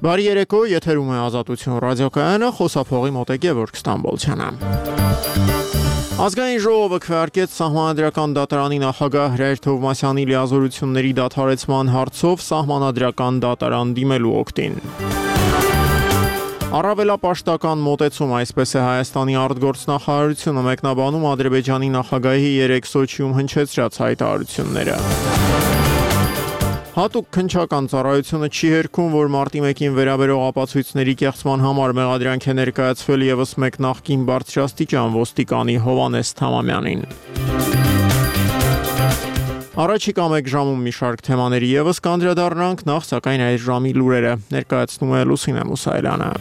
Բարի երեկո, եթերում է Ազատություն ռադիոկայանը, խոսափողի մոտ Գևորգ Ստամբոլցյանը։ Ազգային ժողովը քվեարկեց Սահմանադրական դատարանի նախագահ Հրայր Թովմասյանի լիազորությունների դադարեցման հարցով Սահմանադրական դատարան դիմելու օգտին։ Առավելապաշտական մոտեցում, այսպես է Հայաստանի արտգործնախարարությունը մեկնաբանում Ադրբեջանի նախագահի 3 Սոչիում հնչեցրած հայտարարությունները։ Հատուկ քննչական ծառայությունը չի հերքում, որ մարտի 1-ին վերաբերող ապացույցների կեղծման համար մեղադրանք է ներկայացվել ևս մեկ նախկին բարձրաստիճան ոստիկանի Հովհաննես Թամամյանին։ Առաջիկա մեկ ժամում մի շարք թեմաների ևս կանդրադառնանք, նախ սակայն այս ժամի լուրերը ներկայացնում է Լուսինե Մուսայելյանը։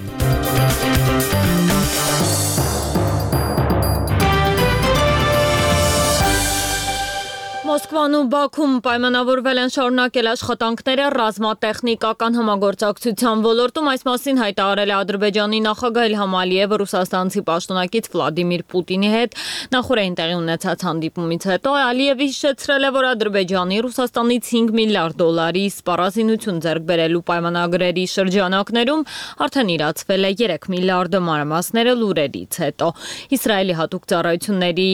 Մոսկվան ու Բաքում պայմանավորվել են շարունակել աշխատանքները ռազմատեխնիկական համագործակցության ոլորտում, այս մասին հայտարարել է Ադրբեջանի նախագահ Իլհամ Ալիևը ռուսաստանցի պաշտոնակից Վլադիմիր Պուտինի հետ նախորդին տեղի ունեցած հանդիպումից հետո։ Ալիևը հիշեցրել է, որ Ադրբեջանի Ռուսաստանից $5 միլիարդ սպառազինություն ձեռք բերելու պայմանագրերի շրջանակներում արդեն իրացվել է 3 միլիարդը մանրամասները լուրերից հետո։ Իսրայելի հատուկ ծառայությունների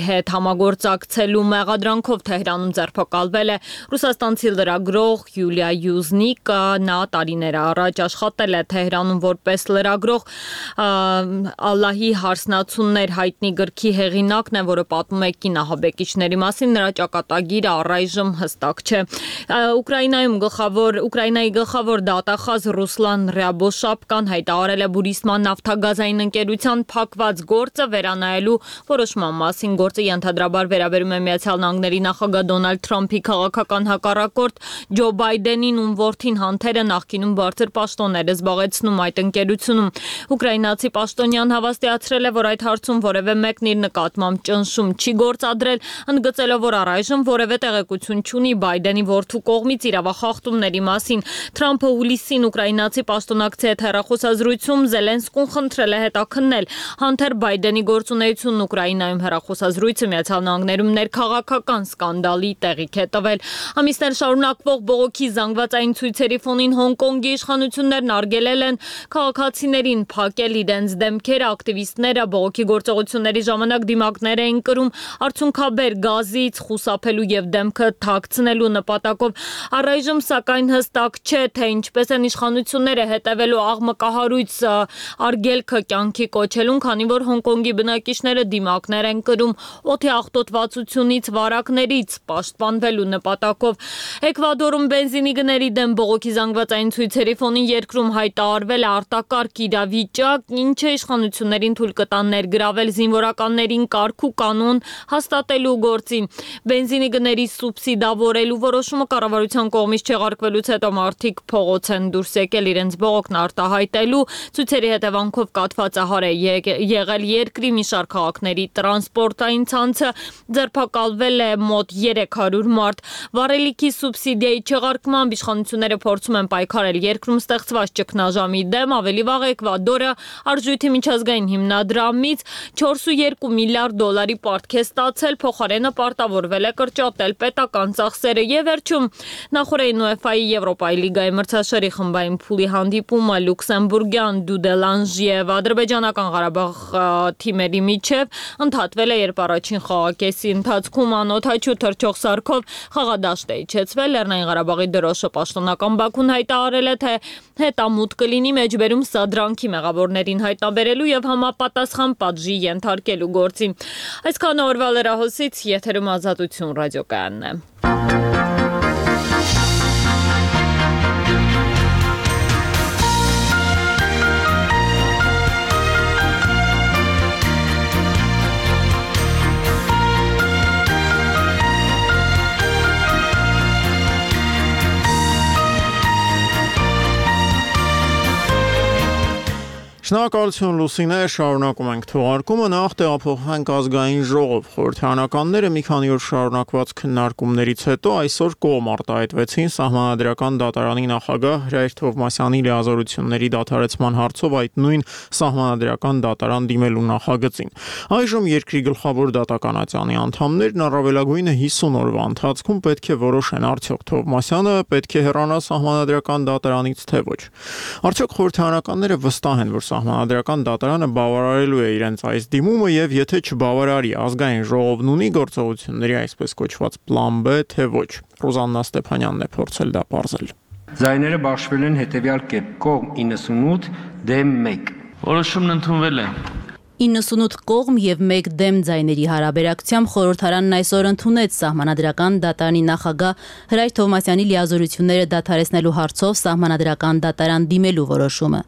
հետ համագործակցելու մեղադրանքով Թեհրանում ձերբակալվել է ռուսաստանցի լրագրող Յուլիա Յուզնիկը, նա տարիներ առաջ աշխատել է Թեհրանում որպես լրագրող, Ալլահի հարսնացուններ հայտնի գրքի հեղինակն է, որը պատմում է կինահաբեկիչների մասին, նրա ճակատագիրը առայժմ հստակ չէ։ Ուկրաինայի գլխավոր դատախազ Ռուսլան Ռյաբոշապկան հայտարարել է Բուրիսման նավթագազային ընկերության փակված գործը վերանայելու որոշման մասին։ Գործը ենթադրաբար վերաբերում է Միացյալ Նահանգների նախագահ Դոնալդ Թրամփի քաղաքական հակառակորդ Ջո Բայդենին, ում որդին Հանթերը նախկինում բարձր պաշտոններ է զբաղեցնում այդ ընկերությունում։ Ուկրաինացի պաշտոնյան հավաստիացրել է, որ այդ հարցում որևէ մեկն իր նկատմամբ ճնշում չի գործադրել, ընդգծելով, որ առայժմ որևէ տեղեկություն չունի Բայդենի որդու կողմից իրավախախտումների մասին։ Թրամփը հուլիսին ուկրաինացի պաշտոնակցի հետ հեռախոսազրույցում Զելենսկուն խնդրել է հետաքննել Հանթեր Բայդենի գործունեությունն Ուկրաինայում։ Հեռախոսազրույցը Միացյալ Նահանգներում ներքաղաքական սկանդալի տեղիք է տվել։ Ամիսներ շարունակվող բողոքի զանգվածային ցույցերի ֆոնին Հոնկոնգի իշխանություններն արգելել են քաղաքացիներին փակել իրենց դեմքերը, ակտիվիստները բողոքի գործողությունների ժամանակ դիմակներ էին կրում արցունքաբեր գազից խուսափելու եւ դեմքը թաքցնելու նպատակով։ Առայժմ սակայն հստակ չէ, թե ինչպես են իշխանությունները հետևելու աղմկահարույց արգելքը կյանքի կոչելուն, քանի որ Հոնկոնգի բնակիչները դիմակներ են կրում օդի աղտոտվածությունից վարակներից պաշտպանվելու նպատակով։ Էկվադորում բենզինի գների դեմ բողոքի զանգվածային ցույցերի ֆոնին երկրում հայտարարվել է արտակարգ իրավիճակ, ինչը իշխանություններին թույլ կտա ներգրավել զինվորականներին կարգ ու կանոն հաստատելու գործին։ Բենզինի գների սուբսիդավորելու որոշումը կառավարության կողմից չեղարկվելուց հետո մարդիկ փողոց են դուրս եկել իրենց բողոքն արտահայտելու։ Ցույցերի հետևանքով կաթվածահար է եղել երկրի մի շարք քաղաքների տրանսպորտային ցանցը, ձերբակալվել է մոտ 300 մարդ։ Վառելիքի սուբսիդիայի չեղարկմամբ իշխանությունները փորձում են պայքարել երկրում ստեղծված ճգնաժամի դեմ։ Ավելի վաղ Էկվադորը արժույթի միջազգային հիմնադրամից $4.2 միլիարդ պարտք է ստացել, փոխարենը պարտավորվել է կրճատել պետական ծախսերը։ Եվ վերջում նախորդին UEFA-ի Եվրոպայի լիգայի մրցաշարի խմբային փուլի հանդիպումը լյուքսեմբուրգյան Դուդելանժ եւ ադրբեջանական Ղարաբաղ թիմերի միջև ընդհատվել է, երբ առաջին խաղակեսի ընթացքում անօդաչու թռչող սարքով խաղադաշտ է իջեցվել։ Լեռնային Ղարաբաղի դրոշը պաշտոնական Բաքուն հայտարարել է, թե հետամուտ կլինի մեջբերում սադրանքի մեղավորներին հայտնաբերելու եւ համապատասխան պատժի ենթարկելու գործին։ Այսքան օրվա լրահոսից եթերում Ազատություն ռադիոկայանն է։ Շնորհակալություն Լուսինե, շարունակում ենք թողարկումը, նախ տեղափոխվենք ազգային ժողով։ Խորհրդարանականները մի քանի օր շարունակված քննարկումներից հետո այսօր կողմ արտահայտվեցին Սահմանադրական դատարանի նախագահ Հրայր Թովմասյանի լիազորությունների դադարեցման հարցով այդ նույն Սահմանադրական դատարան դիմելու նախագծին։ Այժմ երկրի գլխավոր դատականատյանի անդամներն առավելագույնը 50 օրվա ընթացքում պետք է որոշեն արդյոք Թովմասյանը պետք է հեռանա Սահմանադրական դատարանից թե ոչ։ Արդյոք խորհրդարանականները վստահ են, որ Սահմանադրական դատարանը բավարարելու է իրենց այս դիմումը եւ եթե չբավարարի ազգային ժողովն ունի գործողությունների այսպես կոչված պլան B թե ոչ։ Ռոզաննա Ստեփանյանն է փորձել դա պարզել։ Ձայները բաշխվել են հետևյալ կերպ՝ կողմ 98 դեմ 1։ Որոշումն ընդունվել է։ 98 կողմ եւ 1 դեմ ձայների հարաբերակցությամբ խորհրդարանն այսօր ընդունեց Սահմանադրական դատարանի նախագահ Հրայր Թովմասյանի լիազորությունները դադարեցնելու հարցով Սահմանադրական դատարան դիմելու որոշումը։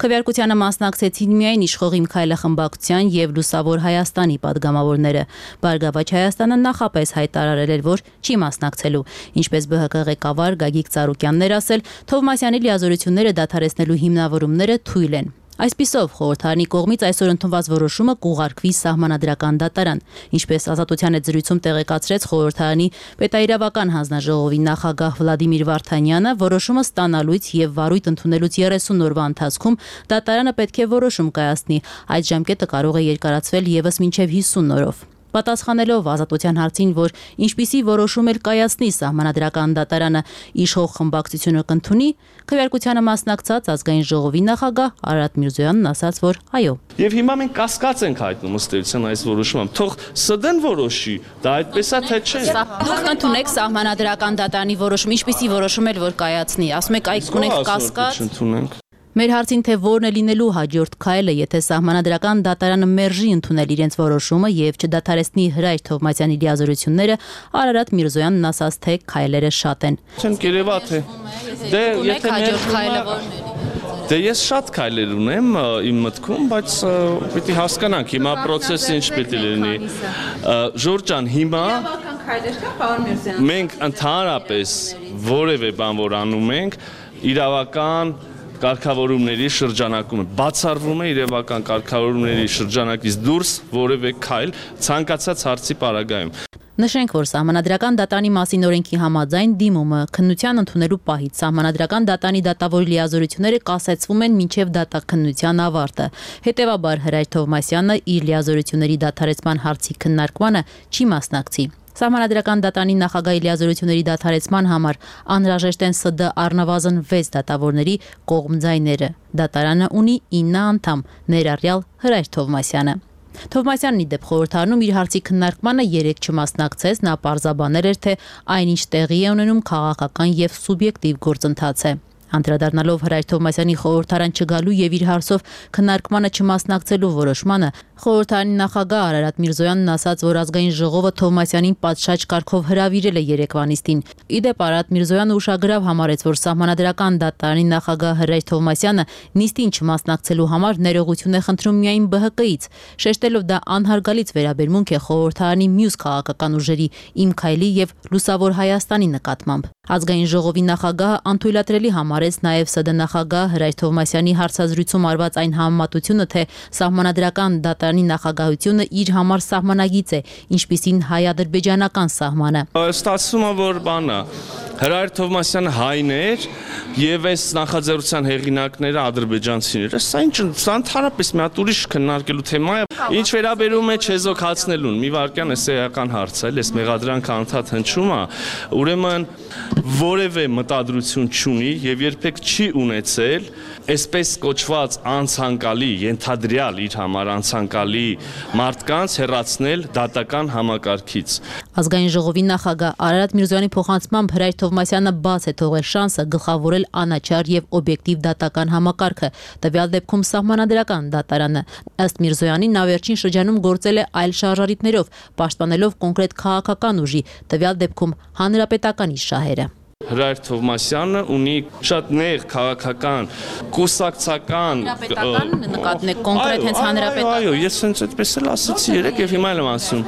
Քվեարկությանը մասնակցեցին միայն Իշխող իմ քայլը խմբակցության եւ Լուսավոր Հայաստանի падգամավորները։ Բարգավաճ Հայաստանը նախապես հայտարարել էր, որ չի մասնակցելու։ Ինչպես ԲՀԿ ղեկավար Գագիկ Ծառուկյանն էր ասել, Թովմասյանի լիազորությունները դադարեցնելու հիմնավորումները թույլ են։ Այսպիսով խորհրդարանի կողմից այսօր ընդունված որոշումը կուղարկվի Սահմանադրական դատարան, ինչպես Ազատության հետ զրույցում տեղեկացրեց խորհրդարանի պետաիրավական հանձնաժողովի նախագահ Վլադիմիր Վարդանյանը, որոշումը ստանալուց եւ վարույթ ընդունելուց 30 օրվա ընթացքում դատարանը պետք է որոշում կայացնի, այդ ժամկետը կարող է երկարացվել եւս մինչեւ 50 օրով։ Պատասխանելով Ազատության հարցին, որ ինչպիսի որոշում էլ կայացնի Սահմանադրական դատարանը իշխող խմբակցությունը կընդունի, քվեարկությանը մասնակցած ազգային ժողովի նախագահ Արարատ Միրզոյանն ասաց, որ այո։ Եվ հիմա մենք կասկած ենք հայտնում ըստ էության այս որոշումը։ Թող ՍԴ-ն որոշի, դա այդպես է թե չէ։ Դուք ընդունեք Սահմանադրական դատարանի որոշում, ինչպիսի որոշում էլ որ կայացնի, ասում եք այդ ունենք կասկած։ Մեր հարցին թե որն է լինելու հաջորդ քայլը, եթե Սահմանադրական դատարանը մերժի ընդունել իրենց որոշումը եւ չդադարեցնի Հրայր Թովմասյանի լիազորությունները, Արարատ Միրզոյանն ասաց, թե քայլերը շատ են։ Չեմ կերևա թե եթե հաջորդ քայլը որն է։ Դե ես շատ քայլեր ունեմ իմ մտքում, բայց պիտի հասկանանք հիմա process-ը ինչ պիտի լինի։ Ժորժ ջան, հիմա մենք ընդհանրապես որևէ բան որ անում ենք, իրավական կարգավորումների շրջանակում է, բացառվում է իրավական կարգավորումների շրջանակից դուրս որևէ քայլ ցանկացած հարցի պարագայում։ Նշենք, որ Սահմանադրական դատարանի մասին օրենքի համաձայն դիմումը քննության ընդունելու պահից Սահմանադրական դատարանի դատավորի լիազորությունները կասեցվում են մինչև դատաքննության ավարտը։ Հետևաբար Հրայր Թովմասյանը իր լիազորությունների դադարեցման հարցի քննարկմանը չի մասնակցի։ Սահմանադրական դատարանի նախագահի լիազորությունների դադարեցման համար անհրաժեշտ են ՍԴ առնվազն 6 դատավորների կողմ ձայները։ Դատարանը ունի 9 անդամ, ներառյալ Հրայր Թովմասյանը։ Թովմասյանն ի դեպ խորհրդարանում իր հարցի քննարկմանը երեք չմասնակցեց, նա պարզաբանել էր, թե այնինչ տեղի է ունենում քաղաքական եւ սուբյեկտիվ գործընթաց է։ Անդրադառնալով Հրայր Թովմասյանի խորհրդարան չգալու եւ իր հարցով քննարկմանը չմասնակցելու որոշմանը, խորհրդարանի նախագահ Արարատ Միրզոյանն ասաց, որ ազգային ժողովը Թովմասյանին պատշաճ կարգով հրավիրել է երեկվանիստին։ Ի դեպ Արարատ Միրզոյանը ուշագրավ համարեց, որ Սահմանադրական դատարանի նախագահ Հրայր Թովմասյանը նիստին չմասնակցելու համար ներողություն է խնդրում միայն ԲՀԿ-ից, շեշտելով դա անհարգալից վերաբերմունք է խորհրդարանի մյուս քաղաքական ուժերի Իմ քայլի եւ Լուսավոր Հայաստանի նկատմամբ։ Ազգային ժողովի նախագահը անթույլատրելի համարեց նաև ՍԴ նախագահ Հրայր Թովմասյանի հարցազրույցում արված այն համեմատությունը, թե Սահմանադրական դատարանի նախագահությունը իր համար սահմանագիծ է, ինչպիսին հայ-ադրբեջանական սահմանը։ Ստացվում է, որ բանը Հրայր Թովմասյանը հայն էր եւ այս նախաձեռնության հեղինակները ադրբեջանցիներ։ Սա ինչ ընդհանրապես մի հատ ուրիշ քննարկելու թեմա է։ Ինչ վերաբերում է չեզոքացնելուն, մի վարքյան էս էական հարց է, այս մեղադրանքը անդադ հնչում է, ուրեմն որևէ մտադրություն չունի եւ երբեք չի ունեցել այսպես կոչված անցանկալի, ենթադրյալ իր համար անցանկալի մարդկանց հեռացնել դատական համակարգից։ Ազգային ժողովի նախագահ Արարատ Միրզոյանի փոխանցմամբ Հրայր Թովմասյանը բաց է թողել շանսը գլխավորել անաչառ եւ օբյեկտիվ դատական համակարգը, տվյալ դեպքում Սահմանադրական դատարանը։ Ըստ Միրզոյանի նա վերջին շրջանում գործել է այլ շարժառիթներով, պաշտպանելով կոնկրետ քաղաքական ուժի, տվյալ դեպքում հանրապետականի շահերը։ Հրայր Թովմասյանը ունի շատ նեղ քաղաքական, կուսակցական նկատնեք կոնկրետ հենց հանրապետական։ Այո, ես հենց այդպես էլ ասացի երեք եւ հիմա եմ ասում։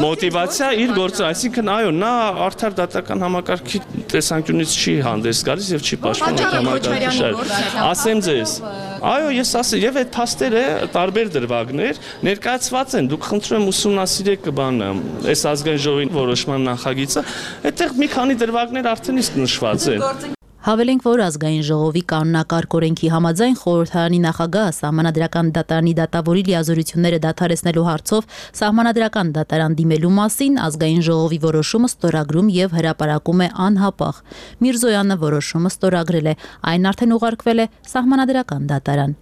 Մոտիվացիա իր գործը, այսինքն այո, նա արդար դատական համակարգի տեսանկյունից չի հանդես գալիս եւ չի պաշտպանում համակարգի շահերը։ Ասեմ ձեզ, Այո, ես ասի, եւ այդ փաստերը տարբեր դրվագներ ներկայացված են։ Դուք խնդրում եմ ուսումնասիրեք բանը, այս ազգային ժողովի որոշման նախագիծը, այդտեղ մի քանի դրվագներ արդեն իսկ նշված են։ Հավելենք, որ ազգային ժողովի կանոնակարգ օրենքի համաձայն խորհրդարանի նախագահը սահմանադրական դատարանի դատավորի լիազորությունները դադարեցնելու հարցով սահմանադրական դատարան դիմելու մասին ազգային ժողովի որոշումը ստորագրում եւ հրապարակում է անհապաղ։ Միրզոյանը որոշումը ստորագրել է, այն արդեն ուղարկվել է սահմանադրական դատարան։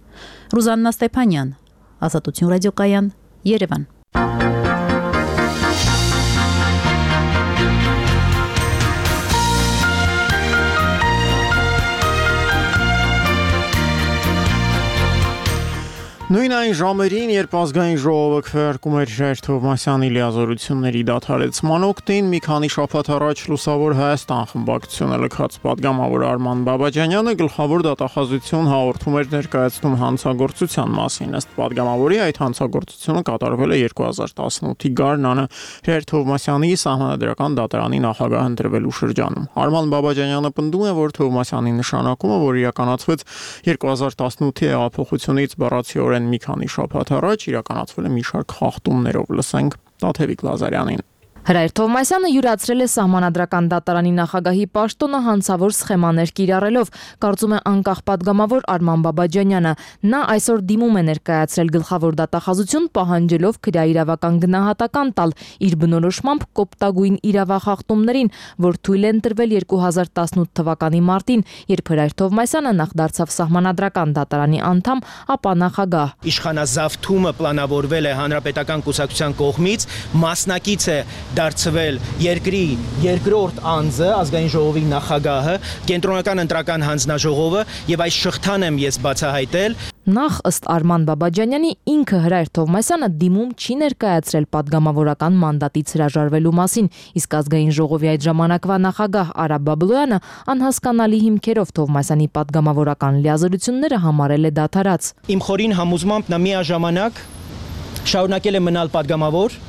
Ռուզաննա Ստեփանյան, Ազատություն ռադիոկայան, Երևան։ Նույն այն ժամերին, երբ ազգային ժողովը քվեարկում էր Ժայր Թովմասյանի լիազորությունների դադարեցման օգտին, մի քանի շաբաթ առաջ Լուսավոր Հայաստան խմբակցությունը լքած պատգամավոր Արման Բաբաջանյանը գլխավոր դատախազություն հաղորդում էր ներկայացնում հանցագործության մասին։ Ըստ պատգամավորի, այդ հանցագործությունը կատարվել է 2018-ի գարնանը Ժայր Թովմասյանի սահմանադրական դատարանի նախագահ ընտրվելու շրջանում։ Արման Բաբաջանյանը պնդում է, որ Թովմասյանի նշանակումը, որ իրականացվեց 2018-ի հեղափոխությունից բառացիորեն մի քանի շաբաթ առաջ, իրականացվել է մի շարք խախտումներով։ Լսենք Տաթևիկ Լազարյանին։ Հրայր Թովմասյանը յուրացրել է սահմանադրական դատարանի նախագահի պաշտոնը հանցավոր սխեմաներ կիրառելով, կարծում է անկախ պատգամավոր Արման Բաբաջանյանը։ Նա այսօր դիմում է ներկայացրել գլխավոր դատախազություն, պահանջելով քրեաիրավական գնահատական տալ իր բնորոշմամբ կոպտագույն իրավախախտումներին, որ թույլ են տրվել 2018 թվականի մարտին, երբ Հրայր Թովմասյանը նախ դարձավ սահմանադրական դատարանի անդամ, ապա նախագահ։ Իշխանազավթումը պլանավորվել է հանրապետական կուսակցության կողմից, մասնակից է դարձվել երկրի երկրորդ անձը, ազգային ժողովի նախագահը, կենտրոնական ընտրական հանձնաժողովը, եւ այս շղթան եմ ես բացահայտել։ Նախ ըստ Արման Բաբաջանյանի ինքը Հրայր Թովմասյանը դիմում չի ներկայացրել պատգամավորական մանդատից հրաժարվելու մասին, իսկ ազգային ժողովի այդ ժամանակվա նախագահ Արա Բաբլոյանը անհասկանալի հիմքերով Թովմասյանի պատգամավորական լիազորությունները համարել է դադարած։ Իմ խորին համոզմամբ նա միաժամանակ շարունակել է մնալ պատգամավոր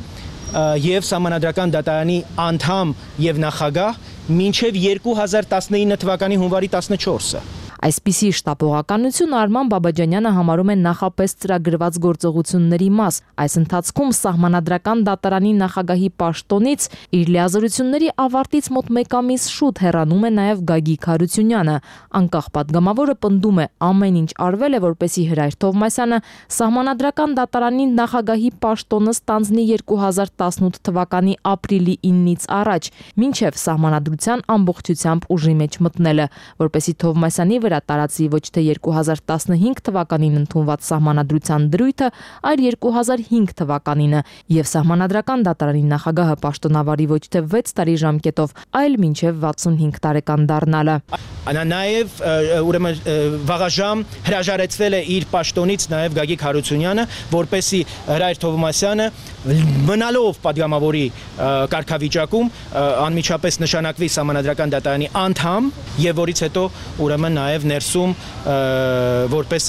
եւ սահմանադրական դատարանի անդամ եւ նախագահ մինչեւ 2019 թվականի հունվարի 14-ը։ Այսպիսի շտապողականություն Արման Բաբաջանյանը համարում է նախապես ծրագրված գործողությունների մաս։ Այս ընթացքում սահմանադրական դատարանի նախագահի պաշտոնից իր լիազորությունների ավարտից մոտ 1 ամիս շուտ հեռանում է նաև Գագիկ Հարությունյանը։ Անկախ պատգամավորը պնդում է, ամեն ինչ արվել է, որպեսզի Հրայր Թովմասյանը սահմանադրական դատարանի նախագահի պաշտոնը ստանձնի 2018 թվականի ապրիլի 9-ից առաջ, մինչև սահմանադրության ամբողջությամբ ուժի մեջ մտնելը, որպեսզի Թովմասյանի վրա տարածի ոչ թե 2015 թվականին ընդունված սահմանադրության դրույթը, այլ 2005 թվականինը, եւ սահմանադրական դատարանի նախագահը պաշտոնավարի ոչ թե 6 տարի ժամկետով, այլ մինչև 65 տարեկան դառնալը։ Նաեւ ուրեմն վաղաժամ հրաժարեցվել է իր պաշտոնից նաեւ Գագիկ Հարությունյանը, որպեսի Հրայր Թովմասյանը մնալով պատգամավորի կարգավիճակում անմիջապես նշանակվի սահմանադրական դատարանի անդամ եւ որից հետո ուրեմն նաեւ ներսում որպես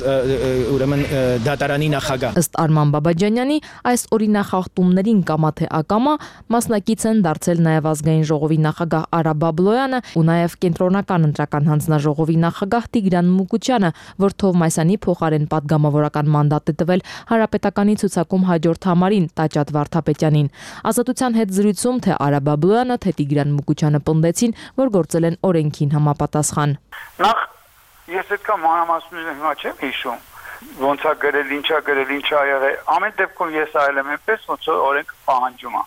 ուրեմն դատարանի նախագահ։ Ըստ Արման Բաբաջանյանի այս օրինախախտումներին կամա թե ակամա մասնակից են դարձել նաեւ ազգային ժողովի նախագահ Արա Բաբլոյանը ու նաեւ կենտրոնական ընտրական հանձնաժողովի նախագահ Տիգրան Մուկուչյանը, որ Թովմասյանի փոխարեն պատգամավորական մանդատ է տվել Հանրապետականի ցուցակում հաջորդ համարին Տաճատ Վարդապետյանին։ Ազատության հետ զրույցում թե Արա Բաբլոյանը, թե Տիգրան Մուկուչյանը պնդեցին, որ գործել են օրենքին համապատասխան։ Նախ ես այդքան մանրամասնությունը հիմա չեմ հիշում, ոնց է գրել, ինչա գրել, ինչա եղել։ Ամեն դեպքում ես այլ եմ այնպես, ոնց որ օրենքը պահանջում է։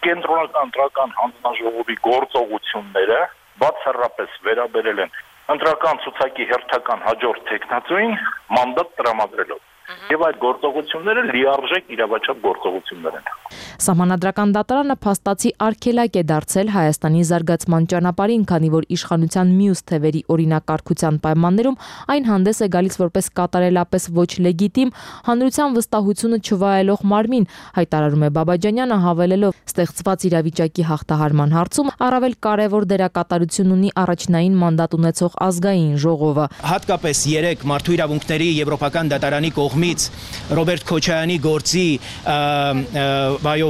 Կենտրոնական ընտրական հանձնաժողովի գործողությունները բացառապես վերաբերել են ընտրական ցուցակի հերթական հաջորդ տեխնացուին մանդատ տրամադրելով։ Եվ այդ գործողությունները լիարժեք իրավաչափ գործողություններ են։ Սահմանադրական դատարանը փաստացի արգելակ է դարձել Հայաստանի զարգացման ճանապարհին, քանի որ իշխանության մյուս թևերի օրինակարգության պայմաններում այն հանդես է գալիս որպես կատարելապես ոչ լեգիտիմ, հանրության վստահությունը չվայելող մարմին, հայտարարում է Բաբաջանյանը, հավելելով, ստեղծված իրավիճակի հաղթահարման հարցում առավել կարևոր դերակատարություն ունի առաջնային մանդատ ունեցող ազգային ժողովը։ Հատկապես 3 մարդու իրավունքների եվրոպական դատարանի կողմից Ռոբերտ Քոչարյանի գործի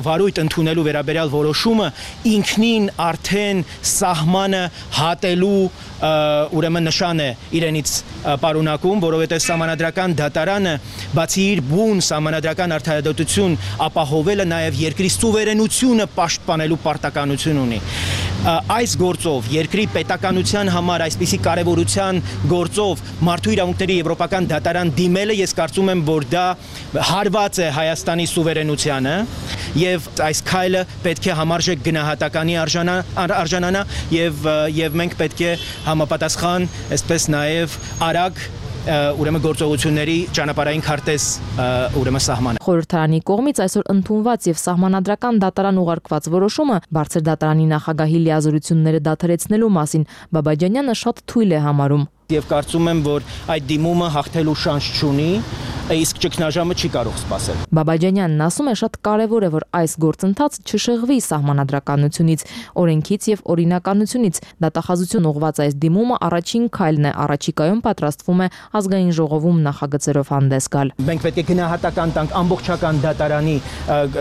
վարույթ ընդունելու վերաբերյալ որոշումը ինքնին արդեն սահմանը հատելու ուրեմն նշան է իրենից պարունակում, որովհետև սահմանադրական դատարանը բացի իր բուն սահմանադրական արդարադատություն ապահովելը նաև երկրի սուվերենությունը պաշտպանելու պարտականություն ունի։ Այս գործով երկրի պետականության համար այսպիսի կարևորության գործով մարդու իրավունքների եվրոպական դատարան դիմելը ես կարծում եմ, որ դա հարված է Հայաստանի սուվերենությանը եւ այս քայլը պետք է համարժեք գնահատականի արժանանա եւ մենք պետք է համապատասխան, այսպես նաեւ արագ ուրեմն գործողությունների ճանապարհային քարտեզ ուրեմն սահմանը։ Խորհրդարանի կողմից այսօր ընդունված եւ սահմանադրական դատարան ուղարկված որոշումը բարձր դատարանի նախագահի լիազորությունները դադարեցնելու մասին Բաբաջանյանը շատ թույլ է համարում։ Եվ կարծում եմ, որ այդ դիմումը հաղթելու շանս չունի, իսկ ճգնաժամը չի կարող սպասել։ Բաբաջանյանն ասում է, շատ կարևոր է, որ այս գործընթաց չշեղվի սահմանադրականությունից, օրենքից եւ օրինականությունից։ Դատախազություն ուղղված այս դիմումը առաջին քայլն է, առաջիկայում պատրաստվում է ազգային ժողովում նախագծերով հանդես գալ։ Մենք պետք է գնահատական տանք ամբողջական դատարանի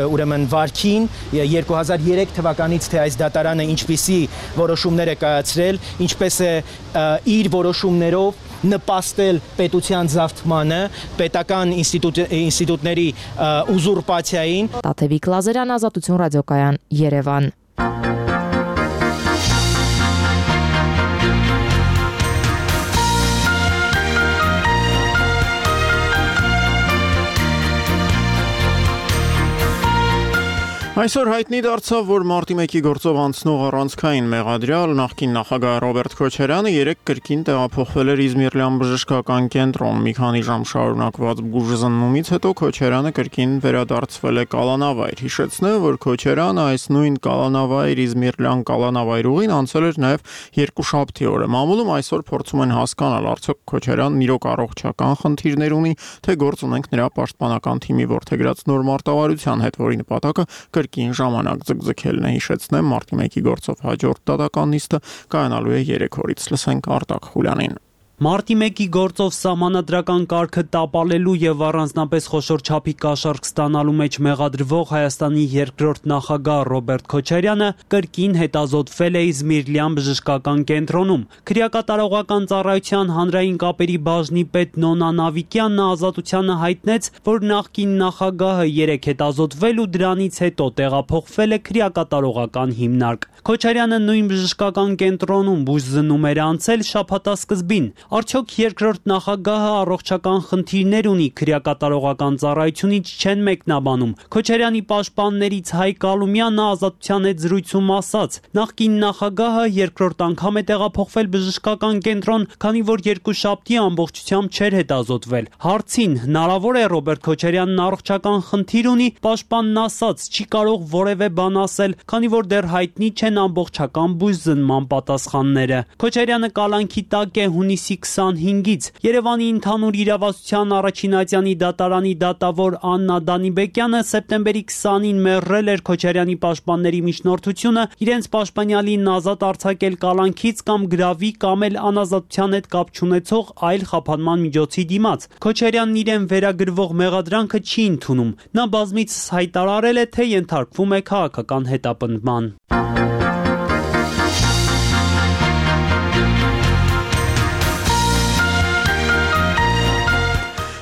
ուրեմն վարքին 2003 թվականից թե այս դատարանը ինչպիսի որոշումներ է կայացրել, ինչպես է իր որոշումներով նպաստել պետության զավթմանը, պետական ինստիտուտների ուզուրպացիային։ Տաթևիկ Լազարյան, Ազատություն ռադիոկայան, Երևան։ Այսօր հայտնի դարձավ, որ մարտի 1-ի գործով անցնող առանցքային մեղադրյալ նախկին նախագահ Ռոբերտ Քոչարյանը երեկ կրկին տեղափոխվել էր Իզմիրլյան բժշկական կենտրոն։ Մի քանի ժամ շարունակված բուժզննումից հետո Քոչարյանը կրկին վերադարձվել է կալանավայր։ Հիշեցնեմ, որ Քոչարյանը այս նույն կալանավայր Իզմիրլյան կալանավայրուղին անցել էր նաև երկուշաբթի օրը։ Մամուլում այսօր փորձում են հասկանալ, արդյոք Քոչարյանն իրոք առողջական խնդիրներ ունի, թե գործ ունենք նրա պաշտպանական թիմի որդեգրած նոր մարտավարության հետ, որի նպատակը կրկին ժամանակ ձգձգելն է։ Հիշեցնեմ, մարտի 1-ի գործով հաջորդ դատական նիստը կայանալու է 3 օրից։ Լսենք Արտակ Խուլյանին։ Մարտի 1-ի գործով սահմանադրական կարգը տապալելու եւ առանձնապես խոշոր չափի կաշառք ստանալու մեջ մեղադրվող Հայաստանի երկրորդ նախագահ Ռոբերտ Քոչարյանը կրկին հետազոտվել է Իզմիրլյան բժշկական կենտրոնում։ Քրեակատարողական ծառայության հանրային կապերի բաժնի պետ Նոնա Նավիկյանն ազատությանը հայտնեց, որ նախկին նախագահը երեք հետազոտվել ու դրանից հետո տեղափոխվել է քրեակատարողական հիմնարկ։ Քոչարյանը նույն բժշկական կենտրոնում բուժզննում էր անցել շաբաթասկզբին։ Արդյոք երկրորդ նախագահը առողջական խնդիրներ ունի, քրեակատարողական ծառայությունից չեն մեկնաբանում։ Քոչարյանի պաշտպաններից Հայկ Ալումյանը ազատության հետ զրույցում ասաց. նախկին նախագահը երկրորդ անգամ է տեղափոխվել բժշկական կենտրոն, քանի որ երկուշաբթի ամբողջությամբ չէր հետազոտվել։ Հարցին հնարավոր է Ռոբերտ Քոչարյանն առողջական խնդիր ունի, պաշտպանն ասաց չի կարող որևէ բան ասել, քանի որ դեռ հայտնի չեն ամբողջական բուժզնման պատասխանները։ Քոչարյանը կալանքի տակ է հունիսի 25-ից։ Երևանի ընդհանուր իրավասության առաջին ատյանի դատարանի դատավոր Աննա Դանիբեկյանը սեպտեմբերի 20-ին մերժել էր Քոչարյանի պաշտպանների միջնորդությունը իրենց պաշտպանյալին ազատ արձակել կալանքից կամ գրավի կամ էլ անազատության հետ կապ չունեցող այլ խափանման միջոցի դիմաց։ Քոչարյանն իրեն վերագրվող մեղադրանքը չի ընդունում։ Նա բազմիցս հայտարարել է, թե ենթարկվում է քաղաքական հետապնդման։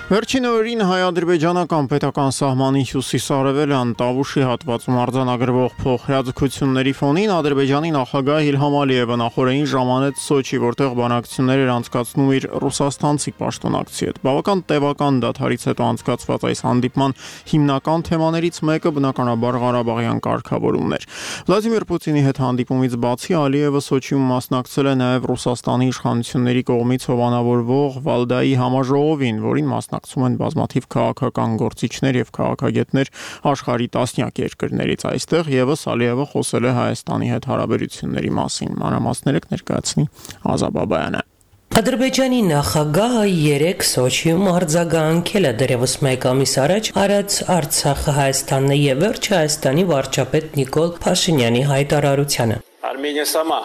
Վերջին օրերին հայ-ադրբեջանական պետական սահմանի հյուսիս-արևելյան Տավուշի հատվածում արձանագրվող փոխհրաձգությունների ֆոնին Ադրբեջանի նախագահ Իլհամ Ալիևը նախորդին ժամանեց Սոչի, որտեղ բանակցություններ էր անցկացնում իր ռուսաստանցի պաշտոնակցի հետ։ Բավական տևական դադարից հետո անցկացված այս հանդիպման հիմնական թեմաներից մեկը բնականաբար Ղարաբաղյան կարգավորումն էր։ Վլադիմիր Պուտինի հետ հանդիպումից բացի Ալիևը Սոչիում մասնակցել է նաև Ռուսաստանի իշխանությունների կողմից հովանավորվող Վալդայի համաժողովին, որին մասնակցում են բազմաթիվ քաղաքական գործիչներ եւ քաղաքագետներ աշխարհի տասնյակ երկրներից։ Այստեղ եւս Ալիևը խոսել է Հայաստանի հետ հարաբերությունների մասին։ Մանրամասները կներկայացնի Ազաբաբայանը։ Ադրբեջանի նախագահը երեկ Սոչիում արձագանքել է դեռևս մեկ ամիս առաջ արած Արցախը Հայաստանն է եւ վերջը Հայաստանի վարչապետ Նիկոլ Փաշինյանի հայտարարությանը։ Արմենիա сама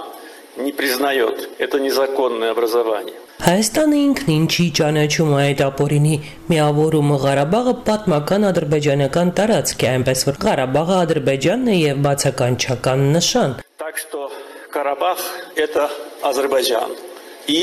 не признает. Это незаконное образование. Հայաստանը ինքնին չի ճանաչում այդ ապօրինի միավորումը Ղարաբաղը պատմական ադրբեջանական տարածք է, այնպես որ Ղարաբաղը Ադրբեջանն է եւ բացականչական նշան։ Так что Карабах это Азербайджан и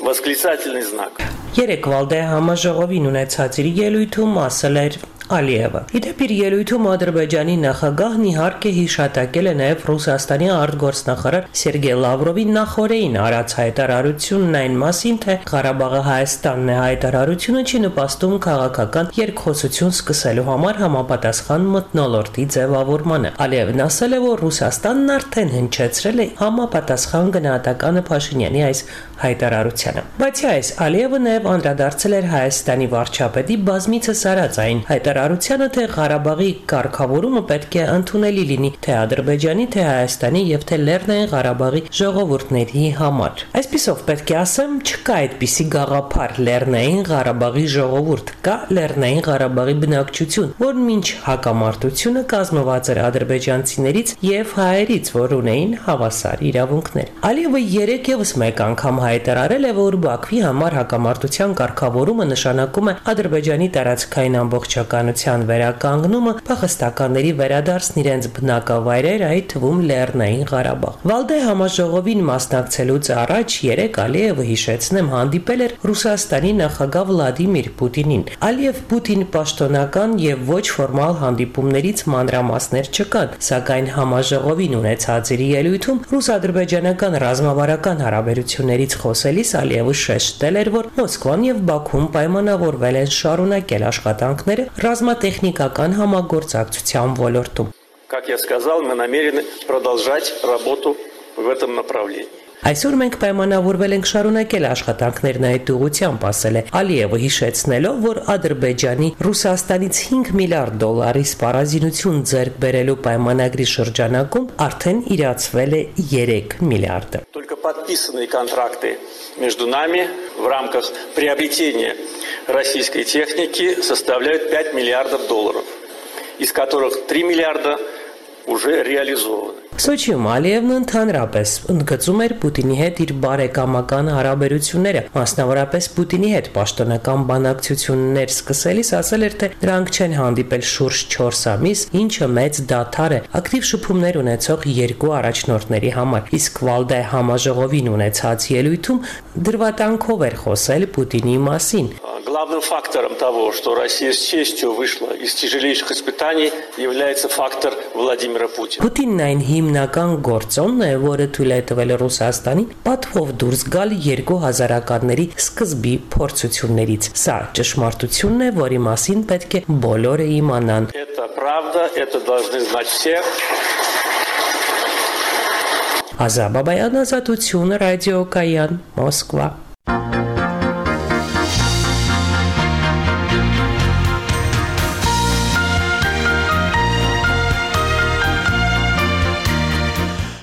восклицательный знак. Երեք Վալդե համաժողովին ունեցած իր ելույթում ասել էր Ալիևը։ Իդեպ իր ելույթում Ադրբեջանի նախագահն իհարկե հիշատակել է նաև Ռուսաստանի արտգործնախարար Սերգեյ Լավրովի նախորդին արած հայտարարությունն այն մասին, թե Ղարաբաղը Հայաստանն է, հայտարարությունը չի նպաստում քաղաքական երկխոսություն սկսելու համար համապատասխան մթնոլորտի ձևավորմանը։ Ալիևն ասել է, որ Ռուսաստանն արդեն հնչեցրել է համապատասխան գնահատականը Փաշինյանի այս հայտարարությանը։ Բացի այս, Ալիևը նաև անդրադարձել էր Հայաստանի վարչապետի բազմիցս արած այն հայտարարությանը, թե Ղարաբաղի կարգավորումը պետք է ընդունելի լինի թե Ադրբեջանի, թե Հայաստանի եւ թե Լեռնային Ղարաբաղի ժողովուրդների համար։ Այսպիսով պետք է ասեմ, չկա այդպիսի գաղափար Լեռնային Ղարաբաղի ժողովուրդ, կա Լեռնային Ղարաբաղի բնակչություն, որն մինչ հակամարտությունը կազմված էր ադրբեջանցիներից եւ հայերից, որ ունեին հավասար իրավունքներ։ Ալիևը երեք եւս մեկ անգամ հայտարարել է, որ Բաքվի համար հակամարտության կարգավորումը նշանակում է Ադրբեջանի տարածքային ամբողջականության վերականգնումը, փախստականների վերադարձն իրենց բնակավայրեր, այդ թվում Լեռնային Ղարաբաղ։ Վալդե համաժողովին մասնակցելուց առաջ երեք Ալիևը հիշեցնեմ հանդիպել էր Ռուսաստանի նախագահ Վլադիմիր Պուտինին։ Ալիև-Պուտին պաշտոնական եւ ոչ ֆորմալ հանդիպումներից մանրամասներ չկան, սակայն համաժողովին ունեցած իր ելույթում ռուս-ադրբեջանական ռազմավարական հարաբերություններից խոսելիս Ալիևը շեշտել էր, որ Մոսկվան եւ Բաքուն պայմանավորվել են շարունակել աշխատանքները ռազմատեխնիկական համագործակցության ոլորտում։ Как я сказал, мы намерены продолжать работу в этом направлении. Այսօր մենք պայմանավորվել ենք շարունակել աշխատանքներն այդ ուղղությամբ, ասել է Ալիևը, հիշեցնելով, որ Ադրբեջանի Ռուսաստանից 5 միլիարդ դոլարի սպառազինություն ձեռք բերելու պայմանագրի շրջանակում արդեն իրացվել է 3 միլիարդը։ Только подписанные контракты между нами в рамках приобретения российской техники составляют 5 миллиардов долларов, из которых 3 миллиарда уже реализованы. Սոչիում Ալիևն ընդհանրապես ընդգծում էր Պուտինի հետ իր բարեկամական հարաբերությունները, մասնավորապես Պուտինի հետ պաշտոնական բանակցություններ սկսելիս ասել էր, թե դրանք չեն հանդիպել շուրջ 4 ամիս, ինչը մեծ դադար է ակտիվ շփումներ ունեցող երկու առաջնորդների համար, իսկ Վալդե համաժողովին ունեցած ելույթում դրվատանքով էր խոսել Պուտինի մասին։ Главным фактором того, что Россия с честью вышла из тяжелейших испытаний, является фактор Владимира Путина. Պուտինն այն հիմնական գործոնն է, որը թույլ է տվել Ռուսաստանին պատվով դուրս գալ 2000-ականների սկզբի փորձություններից։ Սա ճշմարտությունն է, որի մասին պետք է բոլորը իմանան։ Это правда, это должны знать все. Ազաբաբայան ազատություն, ռադիո Կայան, Մոսկվա։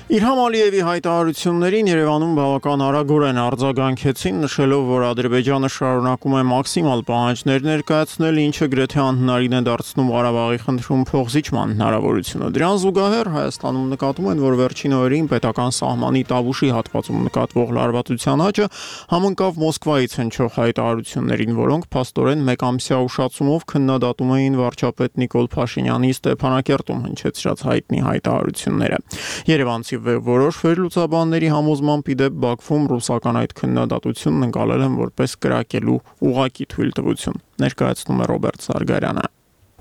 Իլհամ Ալիևի հայտարարություններին Երևանում բավական արագորեն արձագանքեցին, նշելով, որ Ադրբեջանը շարունակում է մաքսիմալ պահանջներ ներկայացնել, ինչը գրեթե անհնարին է դարձնում Ղարաբաղի խնդրում փոխզիջման հնարավորությունը։ Դրան զուգահեռ Հայաստանում նկատում են, որ վերջին օրերին պետական սահմանի Տավուշի հատվածում նկատվող լարվածության աճը համընկավ Մոսկվայից հնչող հայտարարություններին, որոնք փաստորեն մեկամսյա ուշացումով քննադատում էին վարչապետ Նիկոլ Փաշինյանի Ստեփանակերտում հնչեցրած հայտնի հայտարարությունները։ Երևանցի որոշ վերլուծաբանների համոզմամբ իդեպ Բաքվում ռուսական այդ քննադատությունն ընկալել են որպես կրակելու ուղղակի թույլտվություն, ներկայացնում է Ռոբերտ Սարգարյանը։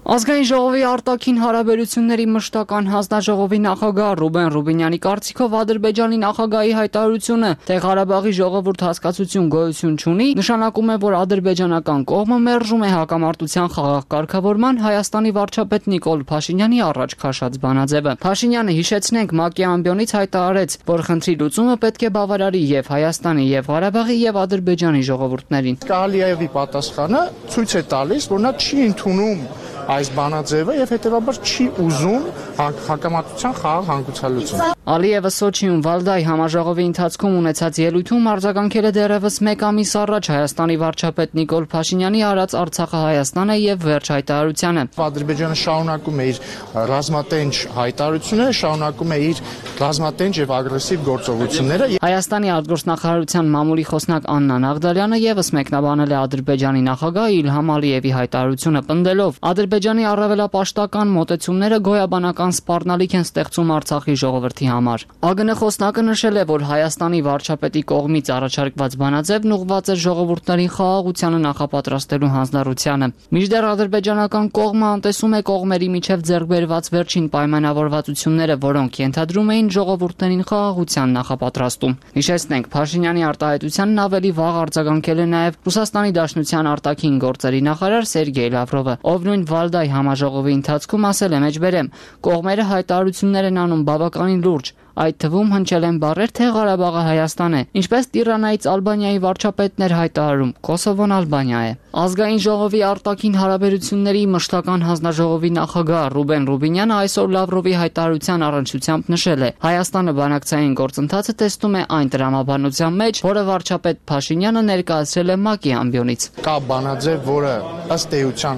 Ազգային ժողովի արտաքին հարաբերությունների մշտական հանձնաժողովի նախագահ Ռուբեն Ռուբինյանի կարծիքով Ադրբեջանի նախագահի հայտարարությունը, թե Ղարաբաղի ժողովուրդ հասկացություն գոյություն չունի, նշանակում է, որ ադրբեջանական կողմը մերժում է հակամարտության խաղաղ կարգավորման Հայաստանի վարչապետ Նիկոլ Փաշինյանի առաջ քաշած բանաձևը։ Փաշինյանը, հիշեցնենք, ՄԱԿ-ի ամբիոնից հայտարարեց, որ խնդրի լուծումը պետք է բավարարի եւ Հայաստանի, եւ Ղարաբաղի, եւ Ադրբեջանի ժողովուրդներին։ Ալիևի պատասխանը ցույց է տալիս, որ նա չի ընդունում այս բանաձևը եւ հետեւաբար չի ուզում հակամարտության խաղաղ հանգուցալուծում։ Ալիևը Սոչիում Վալդայի համաժողովի ընթացքում ունեցած ելույթում արձագանքել է դեռևս 1 ամիս առաջ Հայաստանի վարչապետ Նիկոլ Փաշինյանի արած Արցախը Հայաստանը եւ վերջ հայտարարությանը։ Ադրբեջանը շարունակում է իր ռազմատենչ հայտարարությունները, շարունակում է իր ռազմատենչ եւ ագրեսիվ գործողությունները։ Հայաստանի արտգործնախարարության մամուլի խոսնակ Աննա Նաղդալյանը եւս մեկնաբանել է Ադրբեջանի նախագահ Իլհամ Ալիևի հայտարարությունը պնդելով. Ադրբեջանի առավելապաշտական մոտեցումները գոյաբանական սպառնալիք են ստեղծում Արցախի ժողովրդի համար։ ԱԳՆ խոսնակը նշել է, որ Հայաստանի վարչապետի կողմից առաջարկված բանաձևն ուղղված է ժողովուրդներին խաղաղությանը նախապատրաստելու հանձնառությանը։ Մինչդեռ ադրբեջանական կողմը անտեսում է կողմերի միջև ձեռք բերված վերջին պայմանավորվածությունները, որոնք ենթադրում էին ժողովուրդներին խաղաղության նախապատրաստում։ Հիշեցնենք, Փաշինյանի արտահայտությանն ավելի վաղ արձագանքել է նաև Ռուսաստանի Դաշնության արտաքին գործերի նախարար Սերգեյ Լավրովը, ով նույն Վալդայի համաժողովի ընթացքում ասել է մեջբերեմ. կողմերը հայտարարություններ են անում բավականին լուրջ, այդ թվում հնչել են բառեր, թե Ղարաբաղը Հայաստան է, ինչպես Տիրանայից Ալբանիայի վարչապետն էր հայտարարում, Կոսովոն Ալբանիա է։ Ազգային ժողովի արտաքին հարաբերությունների մշտական հանձնաժողովի նախագահ Ռուբեն Ռուբինյանը այսօր Լավրովի հայտարարության առնչությամբ նշել է. Հայաստանը բանակցային գործընթացը տեսնում է այն տրամաբանության մեջ, որը վարչապետ Փաշինյանը ներկայացրել է ՄԱԿ-ի ամբիոնից։ Կա բանաձև, որը ըստ էության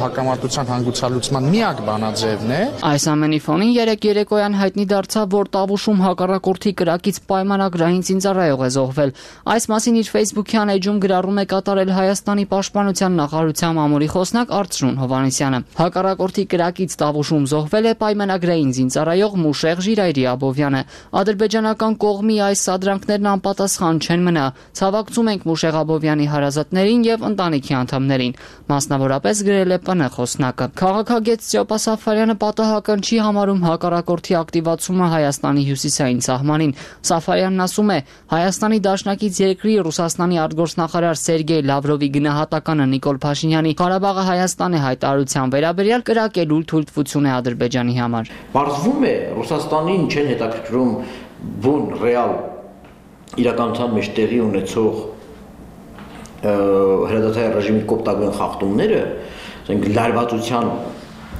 հակամարտության հանգուցալուծման միակ բանաձևն է։ Այս ամենի ֆոնին երեկոյան հայտնի դարձավ, որ Տավուշում հակառակորդի կրակից պայմանագրային զինծառայող է զոհվել։ Այս մասին իր Facebook-յան էջում գրառում է կատարել Հայաստանի պաշտպանության նախարարության մամուլի խոսնակ Արծրուն Հովհաննիսյանը։ Հակառակորդի կրակից Տավուշում զոհվել է պայմանագրային զինծառայող Մուշեղ Ժիրայրի Աբովյանը։ Ադրբեջանական կողմի այս սադրանքներն անպատասխան չեն մնա։ Ցավակցում ենք Մուշեղ Աբովյանի հարազատներին եւ ընտանիքի անդամներին, մասնավորապես գրել է ՊՆ խոսնակը։ Քաղաքագետ Ստյոպա Սաֆարյանը պատահական չի համարում հակառակորդի ակտիվացումը Հայաստանի հյուսիսային սահմանին։ Սաֆարյանն ասում է. Հայաստանի դաշնակից երկրի Ռուսաստանի արտգործնախարար Սերգեյ Լավրովի գնահատականը Նիկոլ Փաշինյանի Ղարաբաղը Հայաստան է հայտարարության վերաբերյալ կրակելու թույլտվություն է Ադրբեջանի համար։ Պարզվում է Ռուսաստանին չեն հետաքրքրում բուն ռեալ իրականության մեջ տեղի ունեցող հրադադարի ռեժիմի կոպտագույն խախտումները, ասենք լարվածության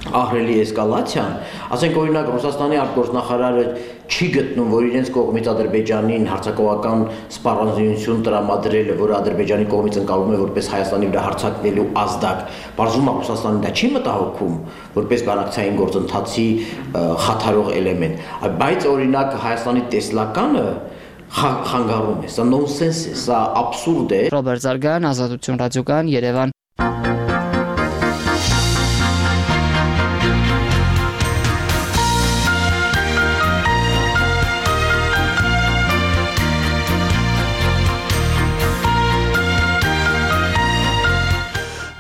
ահռելի էսկալացիան, ասենք օրինակ Ռուսաստանի արտգործնախարարը չի գտնում, որ իրենց կողմից Ադրբեջանին հարձակողական սպառազինություն տրամադրելը, որը Ադրբեջանի կողմից ընկալվում է որպես Հայաստանի վրա հարձակվելու ազդակ, բարձում է Ռուսաստանին դա չի մտահոգում, որպես բանակցային գործընթացի խաթարող էլեմենտ, բայց օրինակ Հայաստանի տեսլականը խանգարում է, սա նոնսենս է, սա աբսուրդ է։ Ռոբերտ Զարգյան, Ազատություն ռադիոկայան, Երևան։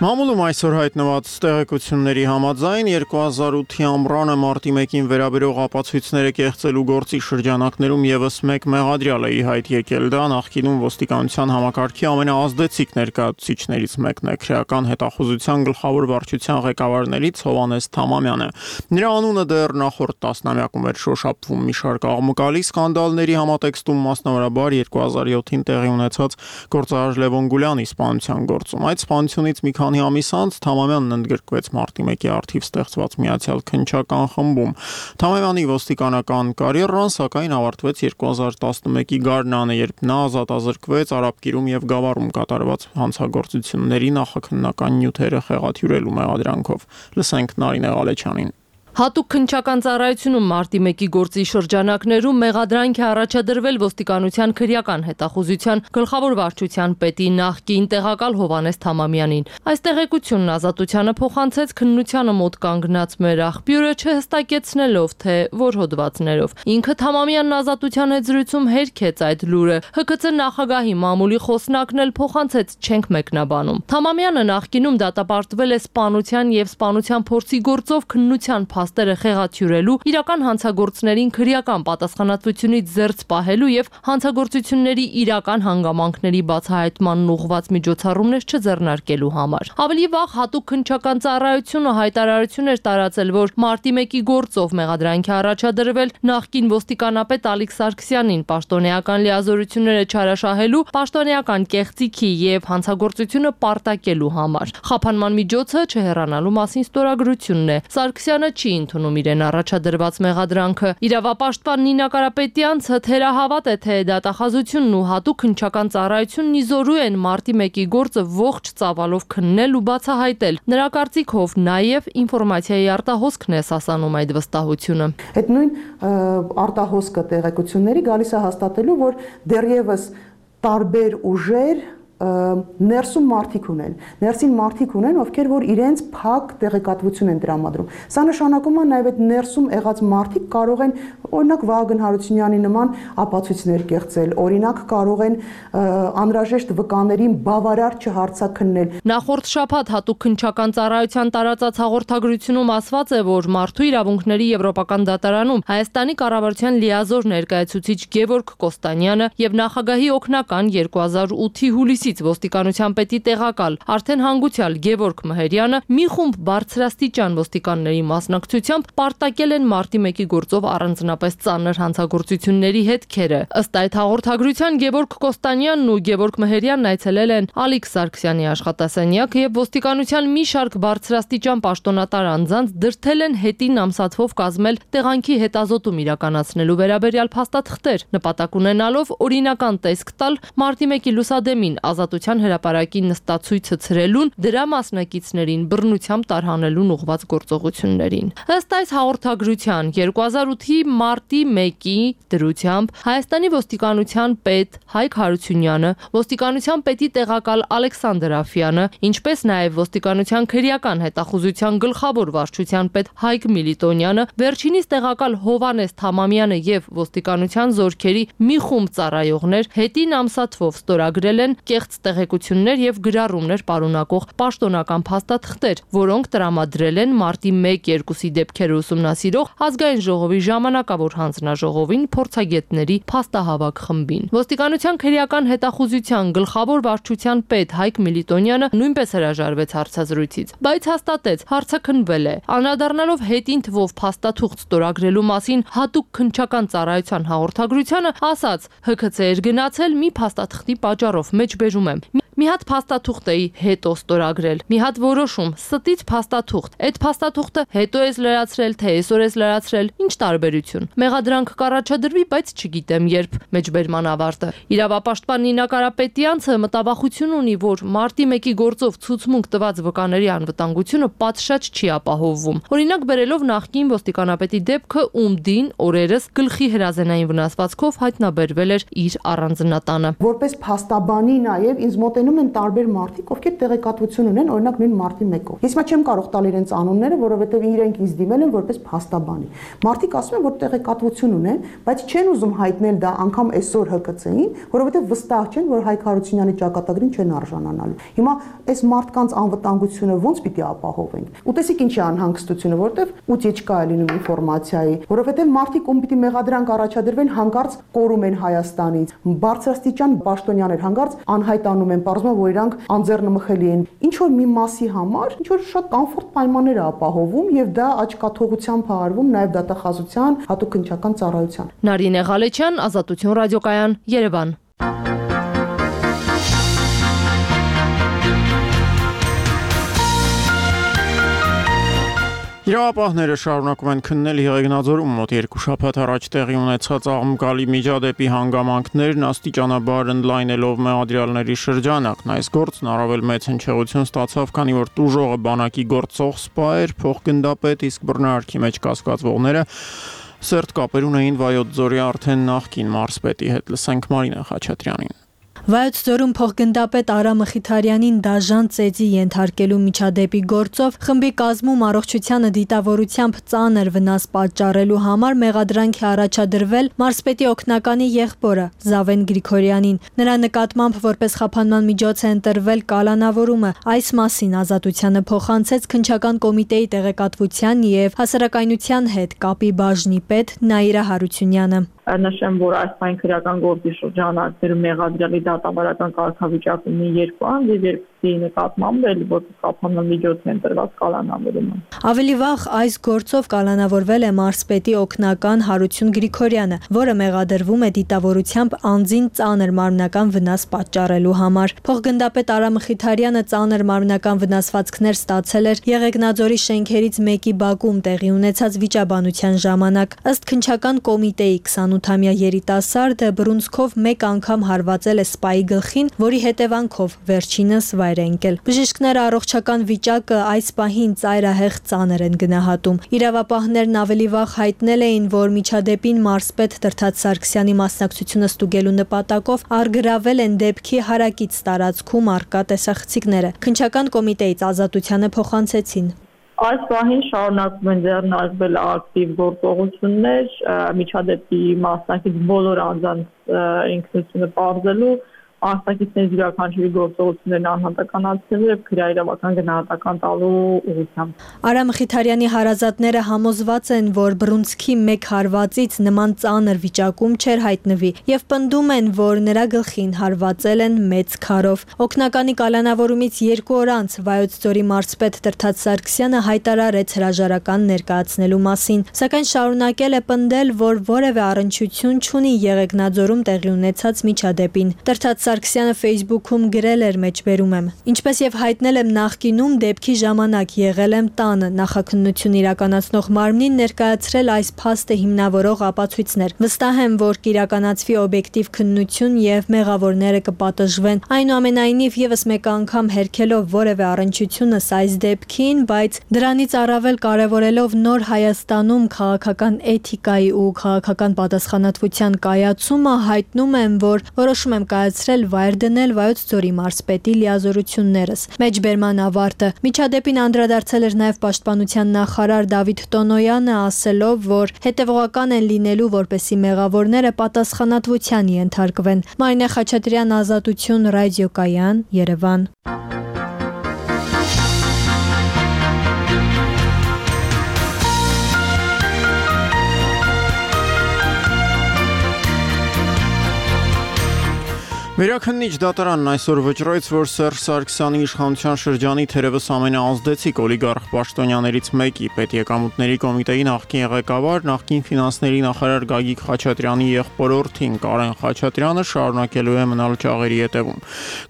Մամուլում այսօր հայտնված տեղեկությունների համաձայն 2008-ի ամռանը մարտի 1-ին վերաբերող ապացույցները կեղծելու գործի շրջանակներում եւս մեկ մեղադրյալ է ի հայտ եկել։ Դա նախկինում ոստիկանության համակարգի ամենաազդեցիկ ներկայացուցիչներից մեկն է, քրեական հետախուզության գլխավոր վարչության ղեկավարներից Հովհաննես Թամամյանը։ Նրա անունը դեռ նախորդ տասնամյակում էր շոշափվում մի շարք աղմկալի սկանդալների համատեքստում, մասնավորաբար 2007-ին տեղի ունեցած գործարար Լևոն Գուլյանի սպանության գործում։ Այդ սպանությունից մի քանի ամիս անց Թամամյանն ընդգրկվեց մարտի 1-ի արդիվ ստեղծված Միացյալ քննչական խմբում։ Թամամյանի ոստիկանական կարիերան սակայն ավարտվեց 2011-ի գարնանը, երբ նա ազատազրկվեց Արաբկիրում եւ Գավառում կատարված հանցագործությունների նախաքննական նյութերը խեղաթյուրելու մեղադրանքով։ Լսենք Նարինե Ղալեչյանին։ Հատուկ քննչական ծառայությունում մարտի 1-ի գործի շրջանակներում մեղադրանք է առաջադրվել ոստիկանության քրեական հետախուզության գլխավոր վարչության պետի նախկին տեղակալ Հովհաննես Թամամյանին։ Այս տեղեկությունն Ազատությանը փոխանցեց քննությանը մոտ կանգնած մեր աղբյուրը, չհստակեցնելով թե որ հոդվածներով։ Ինքը Թամամյանն Ազատության հետ զրույցում հերքեց այդ լուրը։ ՀԿՑ նախագահի մամուլի խոսնակն էլ փոխանցեց չենք մեկնաբանում։ Թամամյանը նախկինում դատապարտվել է սպանության եւ սպանության փորձի գործով քննության փաստերը խեղաթյուրելու, իրական հանցագործներին քրեական պատասխանատվությունից զերծ պահելու եւ հանցագործությունների իրական հանգամանքների բացահայտմանն ուղղված միջոցառումներ չձեռնարկելու համար։ Ավելի վաղ հատուկ քննչական ծառայությունը հայտարարություն էր տարածել, որ մարտի 1-ի գործով մեղադրանքի առաջադրվել նախկին ոստիկանապետ Ալիկ Սարգսյանին պաշտոնեական լիազորությունները չարաշահելու, պաշտոնեական կեղծիքի եւ հանցագործությունը պարտակելու համար։ Խափանման միջոցը չհեռանալու մասին ստորագրությունն է։ Սարգսյանը չի ընդունում իրեն առաջադրված մեղադրանքը։ Իրավապաշտպան Նինա Կարապետյանցը թերահավատ է, թե դատախազությունն ու հատուկ քննչական ծառայությունն իզորու են մարտի 1-ի գործը ողջ ծավալով քննել ու բացահայտել։ Նրա կարծիքով նաև ինֆորմացիայի արտահոսքն է սասանում այդ վստահությունը։ Այդ նույն արտահոսքը տեղեկությունների գալիս է հաստատելու, որ դեռևս տարբեր ուժեր ներսում մարդիկ ունեն, ովքեր որ իրենց փակ տեղեկատվություն են տրամադրում։ Սա նշանակում է նաև այդ ներսում եղած մարդիկ կարող են օրինակ Վահագն Հարությունյանի նման ապացույցներ կեղծել, օրինակ կարող են անհրաժեշտ վկաներին բավարար չհարցաքննել։ Նախորդ շաբաթ հատուկ քննչական ծառայության տարածած հաղորդագրությունում ասված է, որ մարդու իրավունքների եվրոպական դատարանում Հայաստանի կառավարության լիազոր ներկայացուցիչ Գևորգ Կոստանյանը եւ նախագահի օգնական 2008-ի հուլիսից ոստիկանության պետի տեղակալ արդեն հանգուցյալ Գևորգ Մհերյանը մի խումբ բարձրաստիճան ոստիկանների մասնակցությամբ պարտակել են մարտի 1-ի գործով առանձնապես ծանր հանցագործությունների հետքերը։ Ըստ այդ հաղորդագրության Գևորգ Կոստանյանն ու Գևորգ Մհերյանն այցելել են Ալիկ Սարգսյանի աշխատասենյակ եւ ոստիկանության մի շարք բարձրաստիճան պաշտոնատար անձանց դրդել են հետին ամսաթվով կազմել տեղանքի հետազոտում իրականացնելու վերաբերյալ փաստաթղթեր, նպատակ ունենալով օրինական տեսք տալ մարտի 1-ի լուսադեմին Ազատության հրապարակի նստացույցը ցրելուն, դրա մասնակիցներին բռնությամբ տարհանելուն ուղղված գործողություններին։ Ըստ այս հաղորդագրության 2008-ի մարտի 1-ի դրությամբ Հայաստանի ոստիկանության պետ Հայկ Հարությունյանը, ոստիկանության պետի տեղակալ Ալեքսանդր Աֆյանը, ինչպես նաև ոստիկանության քրեական հետախուզության գլխավոր վարչության պետ Հայկ Միլիտոնյանը, վերջինիս տեղակալ Հովանես Թամամյանը եւ ոստիկանության զորքերի մի խումբ ծառայողներ հետին ամսաթվով ստորագրել են կեղծ տեղեկություններ եւ գրառումներ պարունակող պաշտոնական փաստաթղթեր, որոնք տրամադրել են մարտի 1-2-ի դեպքերը ուսումնասիրող ազգային ժողովի ժամանակավոր հանձնաժողովին փորձագետների փաստահավաք խմբին։ Ոստիկանության քրեական հետախուզության գլխավոր վարչության պետ Հայկ Միլիտոնյանը նույնպես հրաժարվեց հարցազրույցից, բայց հաստատեց հարցաքննվել է։ Անդրադառնալով հետին թվով փաստաթուղթ ստորագրելու մասին հատուկ քննչական ծառայության հաղորդագրությանը ասաց. ՀՔՑ էր գնացել մի փաստաթղթի պատճառով մեջբերում եմ։ Մի հատ փաստաթուղթ էի հետո ստորագրել, մի հատ որոշում, ստից փաստաթուղթ։ Այդ փաստաթուղթը հետո ես լրացրել, թե այսօր ես լրացրել, ինչ տարբերություն։ Մեղադրանք կառաջադրվի, բայց չգիտեմ երբ։ Մեջբերման ավարտը։ Իրավապաշտպան Նինա Կարապետյանցը մտավախություն ունի, որ մարտի 1-ի գործով ցուցմունք տված վկաների անվտանգությունը պատշաճ չի ապահովվում։ Օրինակ բերելով նախկին ոստիկանապետի դեպքը, ում դին օրերս գլխի հրազենային վնասվածքով հայտնաբերվել էր իր առանձնատանը։ Որպես փաստաբանի նաև ինձ մոտենում են տարբեր մարդիկ, ովքեր տեղեկատվություն ունեն, օրինակ նույն մարտի 1-ով։ Ես հիմա չեմ կարող տալ իրենց անունները, որովհետև իրենք ինձ դիմել են որպես փաստաբանի։ Մարդիկ ասում են, որ տեղեկատվություն ունեն, բայց չեն ուզում հայտնել դա անգամ այսօր ՀԿՑ-ին, որովհետև վստահ չեն, որ Հայկ Հարությունյանի ճակատագրին չեն արժանանալու։ Հիմա այս մարդկանց անվտանգությունը ո՞նց պիտի ապահովենք։ Ու տեսիք ինչ է անհանգստությունը, որովհետև ուտիեչկա է լինում ինֆորմացիայի, որովհետև մարդիկ ում պիտի մեղադրանք առաջադրվեն, հանկարծ կորում են Հայաստանից։ Բարձրաստիճան պաշտոնյաներ հանկարծ անհայտանում են, պարզվում է, որ իրանք անձեռնմխելի են։ Ինչ որ մի մասի համար, ինչ որ շատ կոմֆորտ պայմաններ է ապահովում եւ դա աչքաթողությամբ հարվում նաեւ դատախազության հատուկ քննչական ծառայության։ Նարինե Ղալեչյան, Ազատություն ռադիոկայան, Երևան։ Իրավապահները շարունակում են քննել Եղեգնաձորում մոտ 2 շաբաթ առաջ տեղի ունեցած աղմկալի միջադեպի հանգամանքներն աստիճանաբար ընդլայնելով մեղադրյալների շրջանակն։ Այս գործն առավել մեծ հնչեղություն ստացավ, քանի որ տուժողը բանակի գործող սպա էր, փոխգնդապետ, իսկ բռնարարքի մեջ կասկածվողները սերտ կապեր ունեին Վայոց ձորի արդեն նախկին մարզպետի հետ։ Լսենք Մարինա Խաչատրյանին։ Վայոց ձորում փոխգնդապետ Արա Մխիթարյանին դաժան ծեծի ենթարկելու միջադեպի գործով խմբի կազմում առողջությանը դիտավորությամբ ծանր վնաս պատճառելու համար մեղադրանք է առաջադրվել մարզպետի օգնականի եղբորը Զավեն Գրիգորյանին։ Նրա նկատմամբ որպես խափանման միջոց է ընտրվել կալանավորումը։ Այս մասին Ազատությանը փոխանցեց քննչական կոմիտեի տեղեկատվության եւ հասարակայնության հետ կապի բաժնի պետ Նաիրա Հարությունյանը։ Նշեմ, որ այս պայն քրեական գործի շրջանակներում մեղադրյալի դատավարական կարգավիճակում ունի 2 անձ եւ երկուսի նկատմամբ էլ որպես խափանման միջոց է ընտրված կալանավորումը։ Ավելի վաղ այս գործով կալանավորվել է մարզպետի օգնական Հարություն Գրիգորյանը, որը մեղադրվում է դիտավորությամբ անձին ծանր մարմնական վնաս պատճառելու համար։ Փոխգնդապետ Արա Մխիթարյանը ծանր մարմնական վնասվածքներ ստացել էր Եղեգնաձորի շենքերից մեկի բակում տեղի ունեցած վիճաբանության ժամանակ։ Ըստ քննչական կոմիտեի 28-ամյա երիտասարդը բռունցքով մեկ անգամ հարվածել է սպայի գլխին, որի հետևանքով վերջինս վայր է ընկել։ Բժիշկները առողջական վիճակը այս պահին ծայրահեղ ծանր են գնահատում։ Իրավապահներն ավելի վաղ հայտնել էին, որ միջադեպին մարզպետ Տրթած Սարգսյանի մասնակցությունը ստուգելու նպատակով առգրավել են դեպքի հարակից տարածքում առկա տեսախցիկները։ Քննչական կոմիտեից Ազատությանը փոխանցեցին։ Այս պահին շարունակվում են ձեռնարկվել ակտիվ գործողություններ միջադեպի մասնակից բոլոր անձանց ինքնությունը պարզելու, մասնակիցների յուրաքանչյուրի գործողություններն անհատականացնելու եւ քրեաիրավական գնահատական տալու ուղղությամբ։ Արա Մխիթարյանի հարազատները համոզված են, որ բռունցքի մեկ հարվածից նման ծանր վիճակում չէր հայտնվի եւ պնդում են, որ նրա գլխին հարվածել են մեծ քարով։ Օգնականի կալանավորումից 2 օր անց Վայոց ձորի մարզպետ Տրթած Սարգսյանը հայտարարեց հրաժարական ներկայացնելու մասին, սակայն շարունակել է պնդել, որ որևէ առնչություն չունի Եղեգնաձորում տեղի ունեցած միջադեպին։ Տրթած Սարգսյանը Facebook-ում գրել էր մեջբերում եմ. Ինչպես եւ հայտնել եմ նախկինում դեպքի ժամանակ եղել եմ տանը, նախաքննություն իրականացնող մարմնին ներկայացրել այս փաստը հիմնավորող ապացույցներ։ Վստահ եմ, որ կիրականացվի օբյեկտիվ քննություն եւ մեղավորները կպատժվեն։ Այնուամենայնիվ եւս մեկ անգամ հերքելով որևէ առնչությունս այս դեպքին, բայց դրանից առավել կարեւորելով նոր Հայաստանում քաղաքական էթիկայի ու քաղաքական պատասխանատվության կայացումը, հայտնում եմ, որ որոշում եմ կայացրել վայր դնել Վայոց ձորի մարզպետի լիազորություններս։ Մեջբերման ավարտը։ Միջադեպին անդրադարձել էր նաև պաշտպանության նախարար Դավիթ Տոնոյանը, ասելով, որ հետևողական են լինելու, որպեսզի մեղավորները պատասխանատվության ենթարկվեն։ Մարինե Խաչատրյան, Ազատություն, Ռադիոկայան, Երևան։ Վերաքննիչ դատարանն այսօր վճռեց, որ Սերժ Սարգսյանի իշխանության շրջանի թերևս ամենաազդեցիկ օլիգարխ պաշտոնյաներից մեկի պետեկամուտների կոմիտեի նախկին ղեկավար, նախկին ֆինանսների նախարար Գագիկ Խաչատրյանի եղբորորդին Կարեն Խաչատրյանը շարունակելու է մնալ ճաղերի ետևում։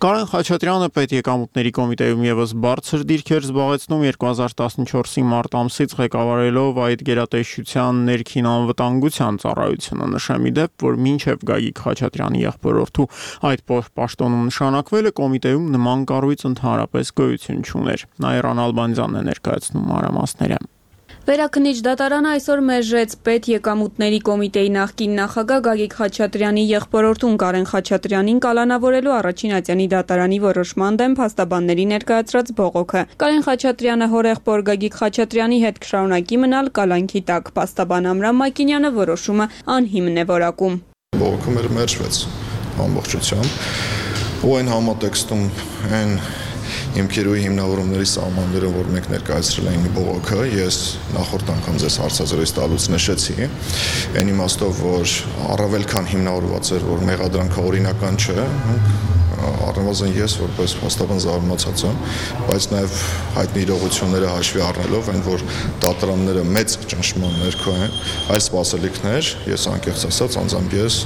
Կարեն Խաչատրյանը պետեկամուտների կոմիտեում եւս բարձր դիրքեր զբաղեցնում 2014-ի մարտ ամսից ղեկավարելով այդ գերատեսչության ներքին անվտանգության ծառայությունը։ Նշեմ ի դեպ, որ մինչև Գագիկ Խաչատրյանի եղբորորդու այդ պաշտոնում նշանակվելը կոմիտեում նման կառույց ընդհանրապես գոյություն չուներ։ Նաիրան Ալբանդյանն է ներկայացնում մանրամասները։ Վերաքննիչ դատարանը այսօր մերժեց պետ եկամուտների կոմիտեի նախկին նախագահ Գագիկ Խաչատրյանի եղբորորդուն Կարեն Խաչատրյանին կալանավորելու առաջին ատյանի դատարանի որոշման դեմ փաստաբանների ներկայացրած բողոքը։ Կարեն Խաչատրյանը հորեղբոր Գագիկ Խաչատրյանի հետ կշարունակի մնալ կալանքի տակ։ Փաստաբան Ամրամ Մակինյանը որոշումը անհիմն է որակում։ Բողոքը մերժվեց ամբողջությամբ ու այն համատեքստում այն հիմքերուի հիմնավորումների սահմանները, որ մենք ներկայացրել էինք բողոքը, ես նախորդ անգամ ձեզ հարցազրույց տալուց նշեցի, այն իմաստով, որ առավել քան հիմնավորված էր, որ մեղադրանքը օրինական չէ, առնվազն ես որպես փաստաբան զարմացած եմ, բայց նաև հայտնի իրողությունները հաշվի առնելով, այն որ դատարանները մեծ ճնշման ներքո են, այլ սպասելիքներ, ես անկեղծ ասած անձամբ ես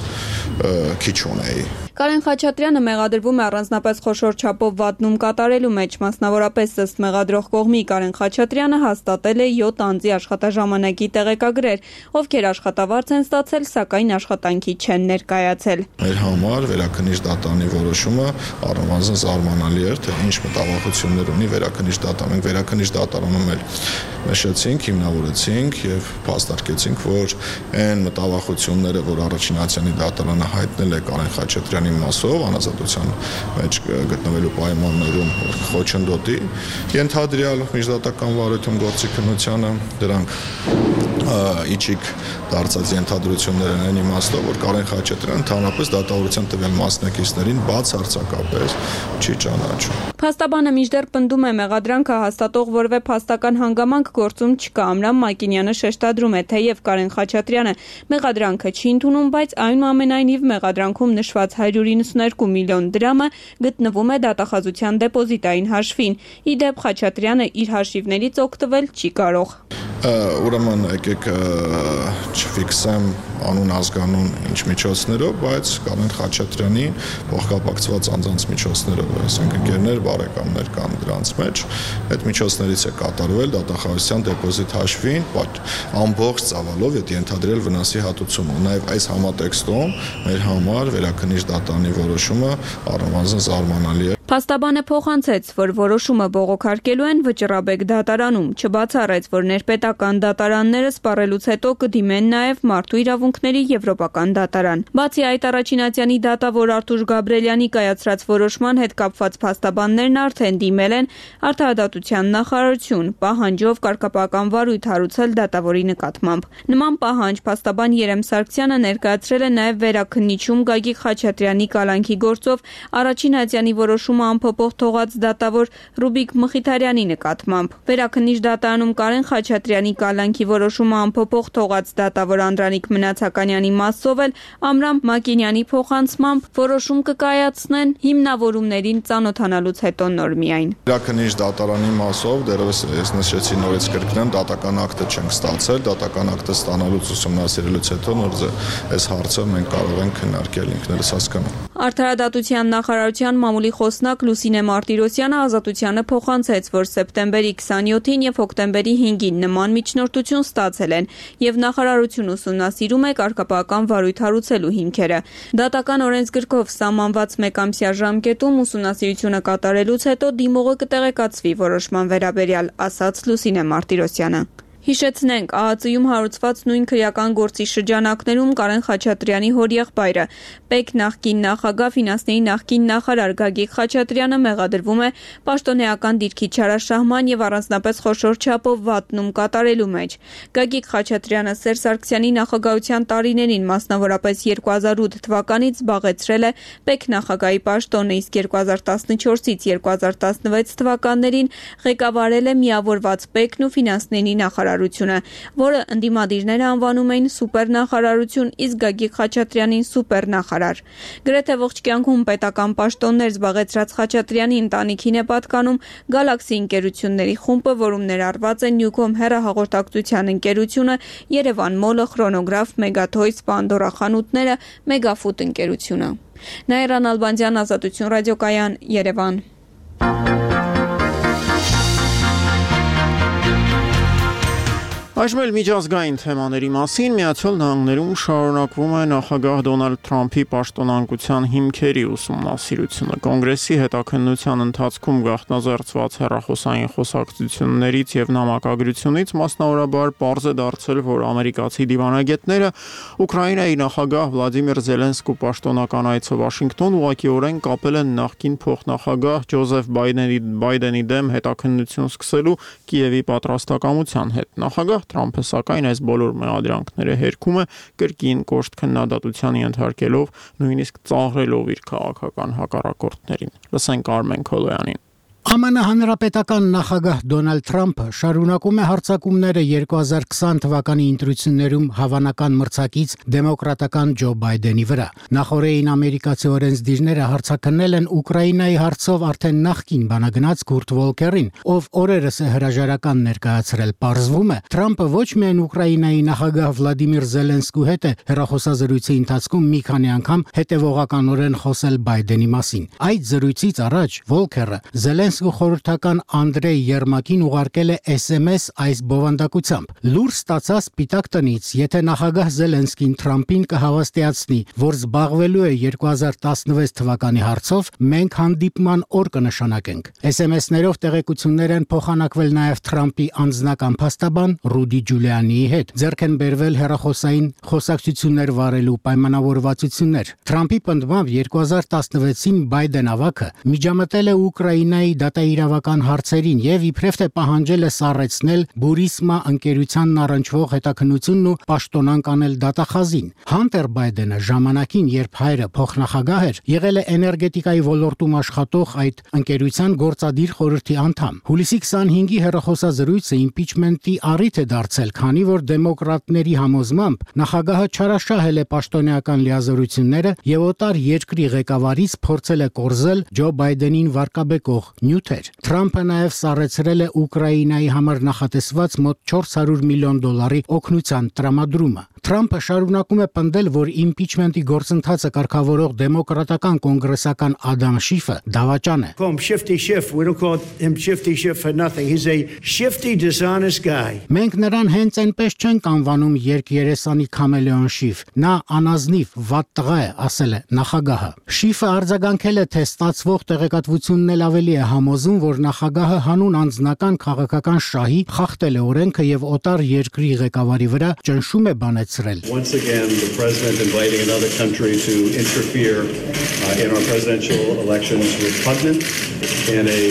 քիչ ունեի։ Կարեն Խաչատրյանը մեղադրվում է առանձնապես խոշոր չափով վատնում կատարելու մեջ, մասնավորապես ըստ մեղադրող կողմի Կարեն Խաչատրյանը հաստատել է 7 անձի աշխատաժամանակի տեղեկագրեր, ովքեր աշխատավարձ են ստացել, սակայն աշխատանքի չեն ներկայացել։ Մեր համար վերաքննիչ դատարանի որոշումը առնվազն զարմանալի էր, թե ինչ մտավախություններ ունի վերաքննիչ դատարանը։ Մենք վերաքննիչ դատարանում էլ նշեցինք, հիմնավորեցինք եւ փաստարկեցինք, որ այն մտավախությունները, որ առաջին ատյանի դատարանը հայտնել է Կարեն Խաչատրյանի դատարանի մասով անազատության մեջ գտնվելու պայմաններում խոչընդոտի ենթադրյալ միջդատական վարույթում գործի քննությանը, դրանք իջիկ դարձած ենթադրություններ են այն իմաստով, որ Կարեն Խաչատրյանը ընդհանրապես դատավորության տվյալ մասնակիցներին բացարձակապես չի ճանաչում։ Փաստաբանը մինչդեռ պնդում է մեղադրանքը հաստատող որևէ փաստական հանգամանք գործում չկա։ Ամրամ Մակինյանը շեշտադրում է, թեև Կարեն Խաչատրյանը մեղադրանքը չի ընդունում, բայց այնուամենայնիվ մեղադրանքում նշված 192 միլիոն դրամը գտնվում է դատախազության դեպոզիտային հաշվին։ Ի դեպ Խաչատրյանը իր հաշիվներից օգտվել չի կարող։ Ուրեմն եկեք չֆիքսեմ անուն ազգանուն ինչ միջոցներով, բայց Կարեն Խաչատրյանի փոխկապակցված անձանց միջոցներով, այսինքն ընկերներ, բարեկամներ կան դրանց մեջ, այդ միջոցներից է կատարվել դատախազության դեպոզիտ հաշվին ամբողջ ծավալով այդ ենթադրյալ վնասի հատուցումը։ Նաև այս համատեքստում մեր համար վերաքննիչ դատարանի որոշումը առնվազն զարմանալի է։ Փաստաբանը փոխանցեց, որ որոշումը բողոքարկելու են Վճռաբեկ դատարանում, չբացառեց, որ ներպետական դատարանները սպառելուց հետո կդիմեն նաև Մարդու իրավունքների Եվրոպական դատարան։ Բացի այդ, առաջինատյանի դատավոր Արթուր Գաբրելյանի կայացրած որոշման հետ կապված փաստաբաններն արդեն դիմել են Արդարադատության նախարարություն, պահանջով կարգապահական վարույթ հարուցել դատավորի նկատմամբ։ Նման պահանջ փաստաբան Երեմ Սարգսյանը ներկայացրել է նաև վերաքննիչում Գագիկ Խաչատրյանի կալանքի գործով առաջինատյանի որոշումը անփոփոխ թողած դատավոր Ռուբիկ Մխիթարյանի նկատմամբ։ Վերաքննիչ դատարանում Կարեն Խաչատրյանի կալանքի որոշումը անփոփոխ թողած դատավոր Անդրանիկ Մնացականյանի մասով էլ Ամրամ Մակինյանի փոխանցմամբ որոշում կկայացնեն հիմնավորումներին ծանոթանալուց հետո նոր միայն։ Վերաքննիչ դատարանի մասով դեռևս ես նշեցի նորից կրկնեմ, դատական ակտը չենք ստացել, դատական ակտը ստանալուց ուսումնասիրելուց հետո նոր այս հարցը մենք կարող ենք քննարկել ինքներս հասկանալ։ Արդարադատության նախարարության մամուլի խոսնակ Լուսինե Մարտիրոսյանը Ազատությանը փոխանցեց, որ սեպտեմբերի 27-ին եւ հոկտեմբերի 5-ին նման միջնորդություն ստացել են եւ նախարարությունը ուսումնասիրում է կարգապահական վարույթ հարուցելու հիմքերը։ Դատական օրենսգրքով սահմանված մեկամսյա ժամկետում ուսումնասիրությունը կատարելուց հետո դիմողը կտեղեկացվի որոշման վերաբերյալ, ասաց Լուսինե Մարտիրոսյանը։ Հիշեցնենք, ԱԱԾ-ում հարուցված նույն քրեական գործի շրջանակներում Կարեն Խաչատրյանի հորեղբայրը, ՊԵԿ նախկին նախագահ, ֆինանսների նախկին նախարար Գագիկ Խաչատրյանը մեղադրվում է պաշտոնեական դիրքի չարաշահման եւ առանձնապես խոշոր չափով վատնում կատարելու մեջ։ Գագիկ Խաչատրյանը Սերժ Սարգսյանի նախագահության տարիներին, մասնավորապես 2008 թվականից զբաղեցրել է ՊԵԿ նախագահի պաշտոնը, իսկ 2014-ից 2016 թվականներին ղեկավարել է միավորված ՊԵԿ-ն ու ֆինանսների նախարարությունը, որը ընդդիմադիրները անվանում էին սուպերնախարարություն, իսկ Գագիկ Խաչատրյանին սուպերնախարար։ Գրեթե ողջ կյանքում պետական պաշտոններ զբաղեցրած Խաչատրյանի ընտանիքին է պատկանում Գալաքսի ընկերությունների խումբը, որում ներառված են Նյուկոմ հեռահաղորդակցության ընկերությունը, Երևան Մոլը, Խրոնոգրաֆ, Մեգաթոյս, Պանդորա խանութները, Մեգաֆուդ ընկերությունը։ Նաիրա Նալբանդյան, Ազատություն ռադիոկայան, Երևան։ Այժմ էլ միջազգային թեմաների մասին Միացյալ Նահանգներում շարունակվում է նախագահ Դոնալդ Թրամփի պաշտոնանկության հիմքերի ուսումնասիրությունը։ Կոնգրեսի հետաքննության ընթացքում գաղտնազերծված հեռախոսային խոսակցություններից եւ նամակագրությունից մասնավորաբար պարզ է դարձել, որ ամերիկացի դիվանագետները Ուկրաինայի նախագահ Վլադիմիր Զելենսկու պաշտոնական այցը Վաշինգտոն ուղղակիորեն կապել են նախկին փոխնախագահ Ջոզեֆ Բայդենի դեմ հետաքննություն սկսելու Կիևի պատրաստակամության հետ։ Նախագահ Թրամփը սակայն այս բոլոր մեղադրանքները հերքում է, կրկին կոշտ քննադատության ենթարկելով, նույնիսկ ծաղրելով իր քաղաքական հակառակորդներին։ Լսենք Արմեն Քոլոյանին։ ԱՄՆ հանրապետական նախագահ Դոնալդ Թրամփը շարունակում է հարձակումները 2020 թվականի ընտրություններում հավանական մրցակից դեմոկրատական Ջո Բայդենի վրա։ Նախորդին ամերիկացի օրենսդիրները հարձակնել են Ուկրաինայի հարցով արդեն նախկին բանագնաց Քուրտ Վոլկերին, ով օրերս է հրաժարական ներկայացրել։ Պարզվում է, Թրամփը ոչ միայն Ուկրաինայի նախագահ Վլադիմիր Զելենսկու հետ է հեռախոսազրույցի ընթացքում մի քանի անգամ հետևողականորեն խոսել Բայդենի մասին։ Այդ զրույցից առաջ Վոլկերը Զելենսկու ազգու խորհրդական Անդրեյ Երմակին ուղարկել է SMS այս բովանդակությամբ. «Լուր ստացա Սպիտակ տնից, եթե նախագահ Զելենսկին Թրամփին կհավաստիացնի, որ զբաղվելու է 2016 թվականի հարցով, մենք հանդիպման օր կնշանակենք»։ SMS-ներով տեղեկություններ են փոխանակվել նաև Թրամփի անձնական փաստաբան Ռուդի Ջուլիանիի հետ։ Ձեռք են բերվել հեռախոսային խոսակցություններ վարելու պայմանավորվածություններ։ Թրամփի պնդմամբ 2016-ին Բայդեն ավագը միջամտել է Ուկրաինայի դատաիրավական հարցերին եւ իբրև թե պահանջել է սառեցնել Բուրիսմա ընկերությանն առնչվող հետաքննությունն ու պաշտոնանկ անել դատախազին։ Հանտեր Բայդենը ժամանակին, երբ հայրը փոխնախագահ էր, եղել է էներգետիկայի ոլորտում աշխատող այդ ընկերության գործադիր խորհրդի անդամ։ Հուլիսի 25-ի հեռախոսազրույցը իմպիչմենտի առիթ է դարձել, քանի որ դեմոկրատների համոզմամբ նախագահը չարաշահել է պաշտոնեական լիազորությունները եւ օտար երկրի ղեկավարից փորձել է կորզել Ջո Բայդենին վարկաբեկող նյութեր։ Թրամփը նաև սառեցրել է Ուկրաինայի համար նախատեսված մոտ $400 միլիոն օգնության տրամադրումը։ Թրամփը շարունակում է պնդել, որ իմպիչմենտի գործընթացը կարգավորող դեմոկրատական կոնգրեսական Ադամ Շիֆը դավաճան է։ Մենք նրան հենց այնպես չենք անվանում երկերեսանի քամելեոն Շիֆ։ Նա անազնիվ վատ տղա է, ասել է նախագահը։ Շիֆը արձագանքել է, թե ստացվող տեղեկատվությունն էլ ավելի է համոզում, որ նախագահը հանուն անձնական քաղաքական շահի խախտել է օրենքը եւ օտար երկրի ղեկավարի վրա ճնշում է բանեցրել։ Once again, the president inviting another country to interfere in our presidential elections was repugnant and a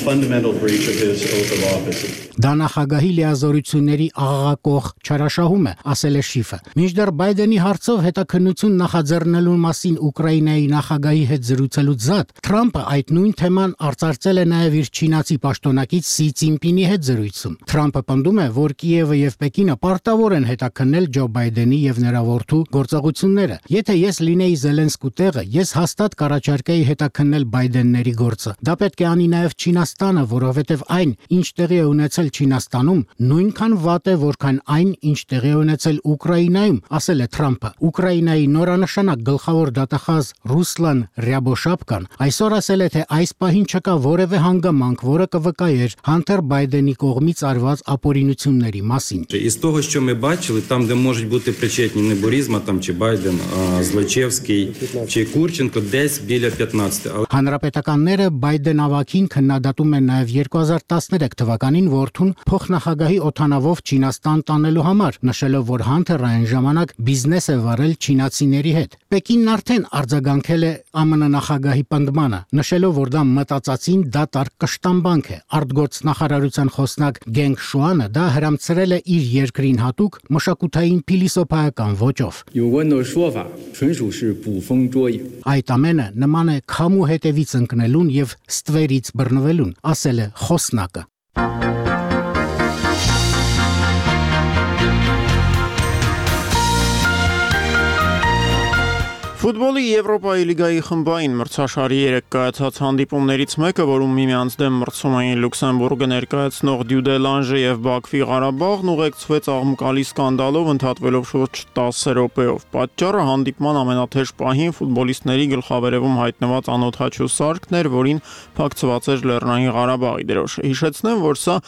fundamental breach of his oath of office. Դա նախագահի լիազորությունների աղաղակող չարաշահում է, ասել է Շիֆը։ Մինչդեռ Բայդենի հարցով հետաքննություն նախաձեռնելու մասին Ուկրաինայի նախագահի հետ զրուցելուց զատ, Թրամփը այդ նույն թեման արծարծել է նաև իր չինացի պաշտոնակից Սի Ցինպինի հետ զրույցում։ Թրամփը պնդում է, որ Կիևը եւ Պեկինը պարտավոր են հետաքննել Ջո Բայդենի եւ նրա որդու գործողությունները։ Եթե ես լինեի Զելենսկու տեղը, ես հաստատ կառաջարկեի հետաքննել Բայդենների գործը։ Դա պետք է անի նաև Չինաստանը, որովհետեւ այն, ինչ տեղի է ունեցել Չինաստանում, նույնքան վատ է, որքան այն, ինչ տեղի է ունեցել Ուկրաինայում, ասել է Թրամփը։ Ուկրաինայի նորանշանակ գլխավոր դատախազ Ռուսլան Ռյաբոշապկան այսօր ասել է, թե այս պահին չկա որևէ հանգամանք, որը կվկայեր Հանտեր Բայդենի կողմից արված ապօրինությունների մասին։ Із того, що ми бачили, там, де можуть бути причетні не Бурізма, там чи Байден, Злочевський, чи Курченко, десь біля 15. Հանրապետականները Բայդեն ավագին քննադատում են նաև 2013 թվականին որդուն փոխնախագահի օթանավով Չինաստան տանելու համար, նշելով, որ Հանթերը այն ժամանակ բիզնես է վարել չինացիների հետ։ Պեկինն արդեն արձագանքել է ԱՄՆ նախագահի պնդմանը, նշելով, որ դա մտածածին դատարկ կշտամբանք է։ Արտգործնախարարության խոսնակ Գենգ Շուանը դա հրամցրել է իր երկրին հատուկ մշակութային փիլիսոփայական ոճով։ Այդ ամենը նման է քամու հետևից ընկնելուն եւ ստվերից բռնվելուն, ասել է խոսնակը։ Ֆուտբոլի Եվրոպայի լիգայի խմբային մրցաշարի 3 կայացած հանդիպումներից մեկը, որում միմյանց դեմ մրցում էին Լյուքսեմբուրգը ներկայացնող Դյուդելանժը եւ Բաքվի Ղարաբաղն, ուղեկցվեց աղմկալի սկանդալով, ընդհատվելով շուրջ 10 րոպեով։ Պատճառը հանդիպման ամենաթեժ պահին ֆուտբոլիստների գլխավերևում հայտնված անօթաչու սարքն էր, որին փակցված էր Լեռնային Ղարաբաղի դրոշը։ Հիշեցնեմ, որ սա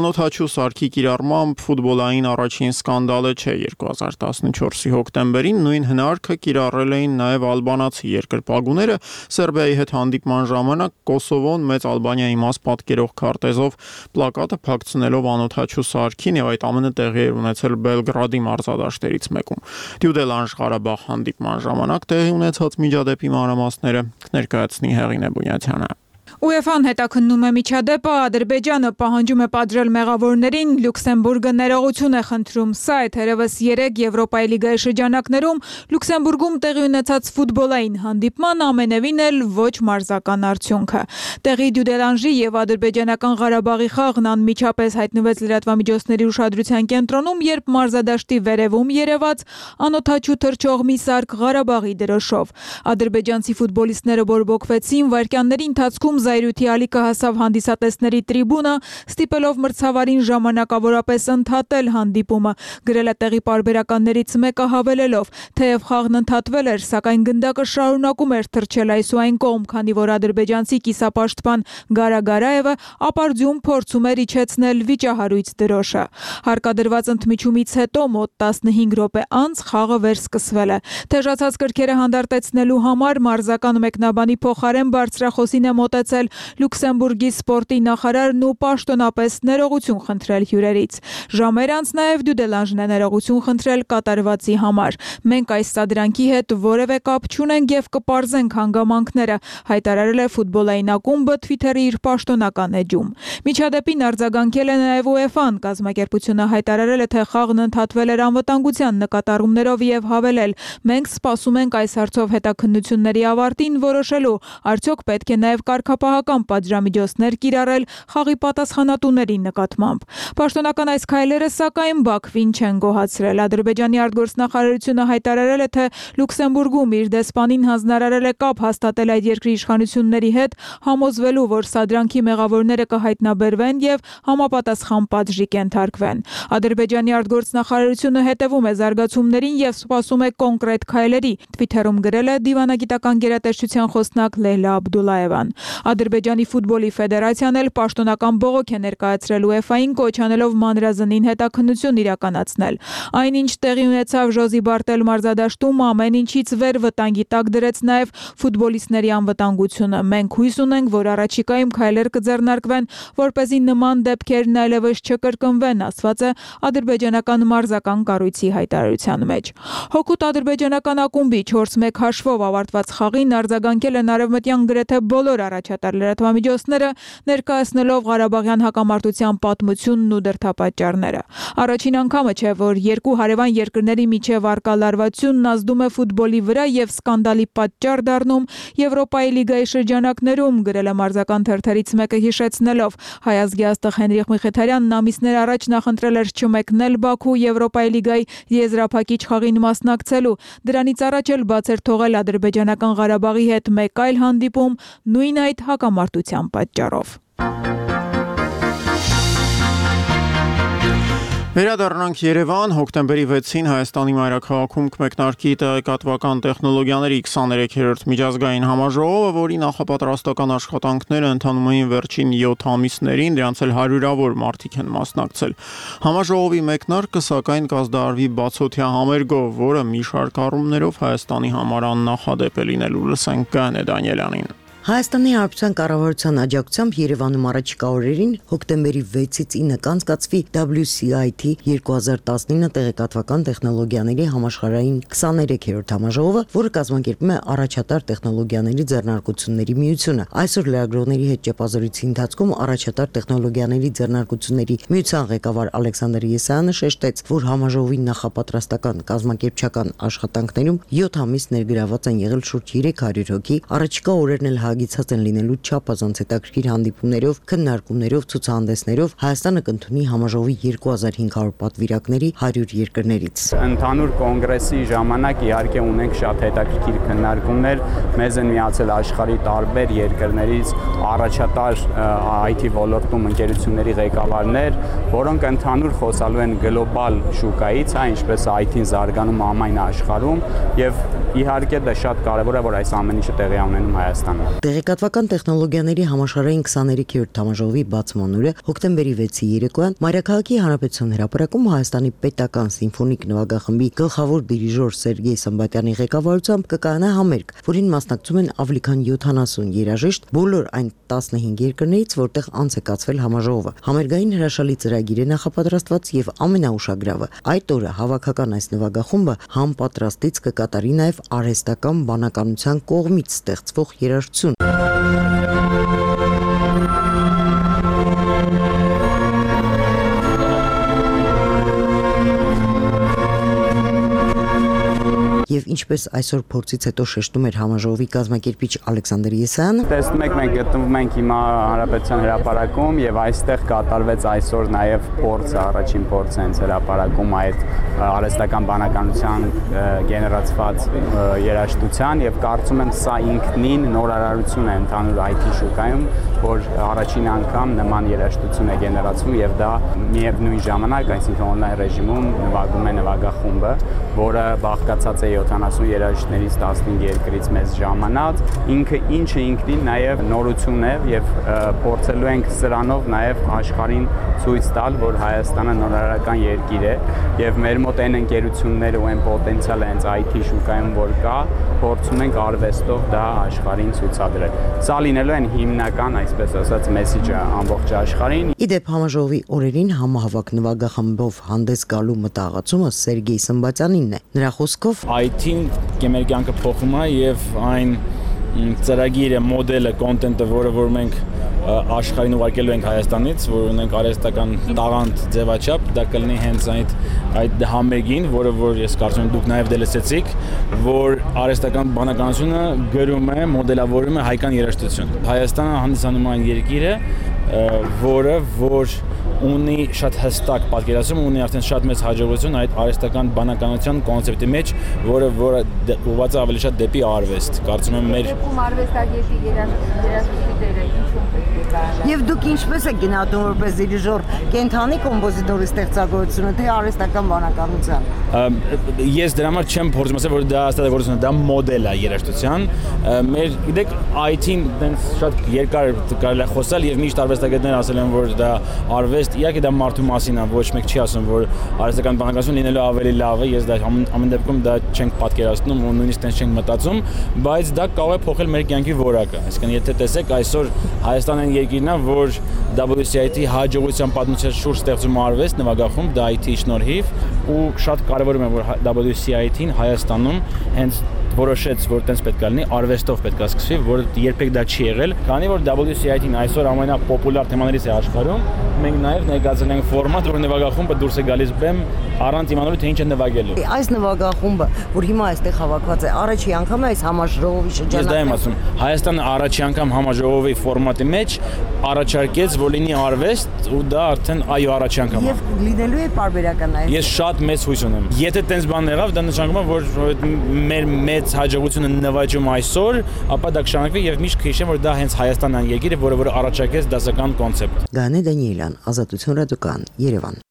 անօթաչու սարքի կիրառմամբ ֆուտբոլային առաջին սկանդալը չէ։ 2014-ի հոկտեմբերին նույն հնարքը կիրառել էին նաև ալբանացի երկրպագուները Սերբիայի հետ հանդիպման ժամանակ Կոսովոն մեծ Ալբանիայի մաս պատկերող քարտեզով պլակատը փակցնելով անօթաչու սարքին եւ այդ ամենը տեղի էր ունեցել Բելգրադի մարզադաշտերից մեկում։ Դյուդելանժ Ղարաբաղ հանդիպման ժամանակ տեղի ունեցած միջադեպի մանրամասները կներկայացնի Հեղինե Բունյաթյանը։ UEFA-ն հետաքննում է միջադեպը, Ադրբեջանը պահանջում է պատժել մեղավորներին, Լյուքսեմբուրգը ներողություն է խնդրում։ Սա է թերևս 3 Եվրոպայի լիգայի շրջանակներում Լյուքսեմբուրգում տեղի ունեցած ֆուտբոլային հանդիպման ամենևին էլ ոչ մարզական արդյունքը։ Տեղի Դյուդելանժի եւ ադրբեջանական Ղարաբաղի խաղն անմիջապես հայտնվեց լրատվամիջոցների ուշադրության կենտրոնում, երբ մարզադաշտի վերևում երևաց անօթաչու թռչող մի սարք Ղարաբաղի դրոշով։ Ադրբեջանցի ֆուտբոլիստները բորբոքվեցին, վայրկյանների ընթացքում Զայրութի ալիքը հասավ հանդիսատեսների տրիբունա, ստիպելով մրցավարին ժամանակավորապես ընդհատել հանդիպումը, գրել է տեղի պարբերականներից մեկը հավելելով, թեև խաղն ընդհատվել էր, սակայն գնդակը շարունակում էր թռչել այս ու այն կողմ, քանի որ ադրբեջանցի կիսապաշտպան Գարա Գարաևը ապարդյուն փորձում էր իջեցնել վիճահարույց դրոշը։ Հարկադրված ընդմիջումից հետո մոտ 15 րոպե անց խաղը վերսկսվել է։ Թեժացած կրքերը հանդարտեցնելու համար մարզական մեկնաբանի փոխարեն բարձրախոսին է մոտեցել Լյուքսեմբուրգի սպորտի նախարարն ու պաշտոնապես ներողություն խնդրել հյուրերից։ Ժամեր անց նաև Դյուդելանժն է ներողություն խնդրել կատարվածի համար։ Մենք այս սադրանքի հետ որևէ կապ չունենք եւ կպարզենք հանգամանքները, հայտարարել է ֆուտբոլային ակումբը Twitter-ի իր պաշտոնական էջում։ Միջադեպին արձագանքել է նաև UEFA-ն, կազմակերպությունը հայտարարել է, թե խաղն ընդհատվել էր անվտանգության նկատառումներով եւ հավելել. մենք սպասում ենք այս հարցով հետաքննությունների ավարտին որոշելու, արդյոք պետք է նաև կարգապահական պատժամիջոցներ կիրառել խաղի պատասխանատուների նկատմամբ։ Պաշտոնական այս քայլերը սակայն Բաքվին չեն գոհացրել։ Ադրբեջանի արտգործնախարարությունը հայտարարել է, թե Լյուքսեմբուրգում իր դեսպանին հանձնարարել է կապ հաստատել այդ երկրի իշխանությունների հետ, համոզվելու, որ սադրանքի մեղավորները կհայտնաբերվեն եւ համապատասխան պատժի կենթարկվեն։ Ադրբեջանի արտգործնախարարությունը հետևում է զարգացումներին եւ սպասում է կոնկրետ քայլերի, Twitter-ում գրել է դիվանագիտական գերատեսչության խոսնակ Լեյլա Աբդուլլաևան։ Ադրբեջանի ֆուտբոլի ֆեդերացիան էլ պաշտոնական բողոք է ներկայացրել UEFA-ին, կոչ անելով մանրազնին հետաքննություն իրականացնել։ Այնինչ տեղի ունեցավ Ժոզի Բարտել մարզադաշտում, ամեն ինչից վեր վտանգի տակ դրեց նաև ֆուտբոլիստների անվտանգությունը։ Մենք հույս ունենք, որ առաջիկայում քայլեր կձեռնարկվեն, որպեսզի նման դեպքերն այլևս չկրկնվեն, ասված է ադրբեջանական մարզական կառույցի հայտարարության մեջ։ Հօգուտ ադրբեջանական ակումբի 4-1 հաշվով ավարտված խաղին արձագանքել են արևմտյան գրեթե բոլոր առաջատար լրատվամիջոցները, ներկայացնելով Ղարաբաղյան հակամարտության պատմությունն ու դրդապատճառները։ Առաջին անգամը չէ, որ երկու հարևան երկրների միջև առկա լարվածությունն ազդում է ֆուտբոլի վրա եւ սկանդալի պատճառ դառնում Եվրոպայի լիգայի շրջանակներում, գրել է մարզական թերթերից մեկը հիշեցնելով. հայ ազգի աստղ Հենրիխ Միխիթարյանն ամիսներ առաջ նախընտրել էր չմեկնել Բաքու Եվրոպայի լիգայի եզրափակիչ խաղին մասնակցելու։ Դրանից առաջ էլ բաց էր թողել ադրբեջանական Ղարաբաղի հետ մեկ այլ հանդիպում նույն այդ հակամարտության պատճառով։ Վերադառնանք Երևան, հոկտեմբերի 6-ին Հայաստանի մայրաքաղաքում կմեկնարկի տեղեկատվական տեխնոլոգիաների 23-րդ միջազգային համաժողովը, որի նախապատրաստական աշխատանքները ընթանում էին վերջին 7 ամիսներին, դրանց էլ հարյուրավոր մարդիկ են մասնակցել։ Համաժողովի մեկնարկը սակայն կազդարվի բացօթյա համերգով, որը մի շարք առումներով Հայաստանի համար աննախադեպ է լինելու։ Լսենք Գայանե Դանիելյանին։ Հայաստանի Հանրապետության կառավարության աջակցությամբ Երևանում առաջիկա օրերին հոկտեմբերի 6-ից 9 կանցկացվի WCIT 2019 տեղեկատվական տեխնոլոգիաների համաշխարհային 23-րդ համաժողովը, որը կազմակերպում է առաջատար տեխնոլոգիաների ձեռնարկությունների միությունը։ Այսօր լրագրողների հետ ճեպազրույցի ընթացքում առաջատար տեխնոլոգիաների ձեռնարկությունների միության ղեկավար Ալեքսանդր Եսայանը շեշտեց, որ համաժողովի նախապատրաստական կազմակերպչական աշխատանքներում 7 ամիս ներգրաված են եղել շուրջ 300 հոգի, առաջիկա օրերն էլ հագեցած են լինելու չափազանց հետաքրքիր հանդիպումներով, քննարկումներով, ցուցահանդեսներով։ Հայաստանը կընդունի համաժողովի 2500 պատվիրակների 100 երկրներից։ Ընդհանուր կոնգրեսի ժամանակ իհարկե ունենք շատ հետաքրքիր քննարկումներ, մեզ են միացել աշխարհի տարբեր երկրներից առաջատար IT ոլորտում ընկերությունների ղեկավարներ, որոնք ընդհանուր խոսալու են գլոբալ շուկայից, ինչպես IT-ն զարգանում ամայն աշխարհում, եւ իհարկե դա շատ կարեւոր է, որ այս ամեն ինչը տեղի ունենում Հայաստանում։ Տեղեկատվական տեխնոլոգիաների համաշխարհային 23-րդ համաժողովի բացման օրը հոկտեմբերի 6-ի երեկոյան Մայրաքաղաքի Հանրապետության հրապարակում Հայաստանի պետական սիմֆոնիկ նվագախմբի գլխավոր դիրիժոր Սերգեյ Սմբատյանի ղեկավարությամբ կկայանա համերգ, որին մասնակցում են ավելի քան 70 երաժիշտ բոլոր այն 15 երկրներից, որտեղ անց է կացվել համաժողովը։ Համերգային հրաշալի ծրագիր է նախապատրաստված եւ ամենաուշագրավը այդ օրը հավաքական այս նվագախումբը համապատրաստից կկատարի նաեւ արհեստական բանականության կողմից ստեղծվող երաժշտություն։ Եվ ինչպես այսօր փորձից հետո շեշտում էր համաժողովի կազմակերպիչ Ալեքսանդր Եսայանը։ Տեսնում եք, մենք գտնվում ենք հիմա Հանրապետության հրապարակում եւ այստեղ կատարվեց այսօր նաեւ փորձը, առաջին փորձը հենց հրապարակում այդ արհեստական բանականության գեներացված երաժշտության եւ կարծում եմ սա ինքնին նորարարություն է ընդհանուր IT շուկայում, որ առաջին անգամ նման երաժշտություն է գեներացվում եւ դա միևնույն ժամանակ, այսինքն on-line ռեժիմում նվագում է նվագախումբը, որը բաղկացած է 70 երաժիշտներից 15 երկրից մեզ ժամանած, ինչը ինքնին նաև նորություն է եւ փորձելու ենք սրանով նաև աշխարհին ցույց տալ, որ Հայաստանը նորարարական երկիր է եւ մեր մոտ այն ընկերությունները ու այն պոտենցիալը հենց IT շուկայում որ կա, փորձում ենք արվեստով դա աշխարհին ցույցադրել։ Սա լինելու են հիմնական, այսպես ասած, մեսեջը ամբողջ աշխարհին։ Իդեպ համաժողովի օրերին համահավաք նվագախմբով հանդես գալու մտահղացումը Սերգեյ Սմբատյանինն է։ Նրա խոսքով IT-ն մեր կյանքը փոխում է եւ այն ծրագիրը, մոդելը, կոնտենտը, որը մենք աշխարհին ուղարկելու ենք Հայաստանից, որ ունենք արհեստական տաղանդ ձևաչափ, դա կլինի հենց այդ համերգին, որը որ ես կարծում եմ դուք նաև դելսեցիք, որ արհեստական բանականությունը գրում է, մոդելավորում է հայկական երաժշտություն։ Հայաստանը հանդիսանում է այն երկիրը, որը որ ունի շատ հստակ պատկերացում, ունի արդեն շատ մեծ հաջողություն այդ արհեստական բանականության կոնցեպտի մեջ, որը ուղղված է ավելի շատ դեպի արվեստ։ Կարծում եմ մեր արվեստագետի երաժշտի դերը ինչու պետք է կարողանա։ Եվ դուք ինչպես եք գնահատում որպես դիրիժոր կենթանի կոմպոզիտորի ստեղծագործությունը, թե արհեստական բանականության։ Ես դրա համար չեմ փորձում ասել, որ դա ստեղծագործությունը, դա մոդել է երաժշտության։ Մեր գիտեք IT-ն դենց շատ երկար կարելի է խոսալ եւ միշտ արվեստագետները ասել են, որ դա արվեստ, իհարկե դա մարդու մասին է, ոչ մեկ չի ասում, որ արհեստական բանականություն լինելու ավելի լավ է, ես դա ամեն դեպքում դա չենք պատկերացնում ու նույնիսկ տենց չենք մտածում, բայց դա կարող է փոխել մեր կյանքի որակը։ Այսինքն եթե տեսեք այսօր Հայաստանը այն երկիրն է, որ WCIT հաջողության պատմության շուրջ ստեղծում արվեստ նվագախումբ, դա IT-ի շնորհիվ ու շատ կարևորում է, որ WCIT-ին Հայաստանում հենց որոշեց, որ տենց պետք է լինի, արվեստով պետք է սկսվի, որ երբեք դա չի եղել, քանի որ WCIT-ն այսօր ամենապոպուլար թեմաներից է աշխարհում, մենք նաև ներկայացրել ենք ֆորմատ, որ նվագախումբը դուրս է գալիս բեմ առանց իմանալու թե ինչ է նվագելու։ Այս նվագախումբը, որ հիմա այստեղ հավաքված է, առաջի անգամ է այս համաժողովի շրջանակում։ Ես դա եմ ասում, Հայաստանը առաջի անգամ համաժողովի ֆորմատի մեջ առաջարկեց, որ լինի արվեստ ու դա արդեն այո առաջի անգամ է։ Եվ լինելու է պարբերական այս։ Ես շատ մեծ հույս ունեմ։ Եթե տենց բան եղավ, դա նշանակում է, որ մեր մեծ հաջողությունը նվաճում այսօր, ապա դա կշարունակվի եւ միշտ կհիշեմ, որ դա հենց Հայաստանն է երկիրը, որը առաջարկեց դասական կոնցեպտ։ Գանե Դանիելյան, Ազատություն ռադիոկան, Երևան։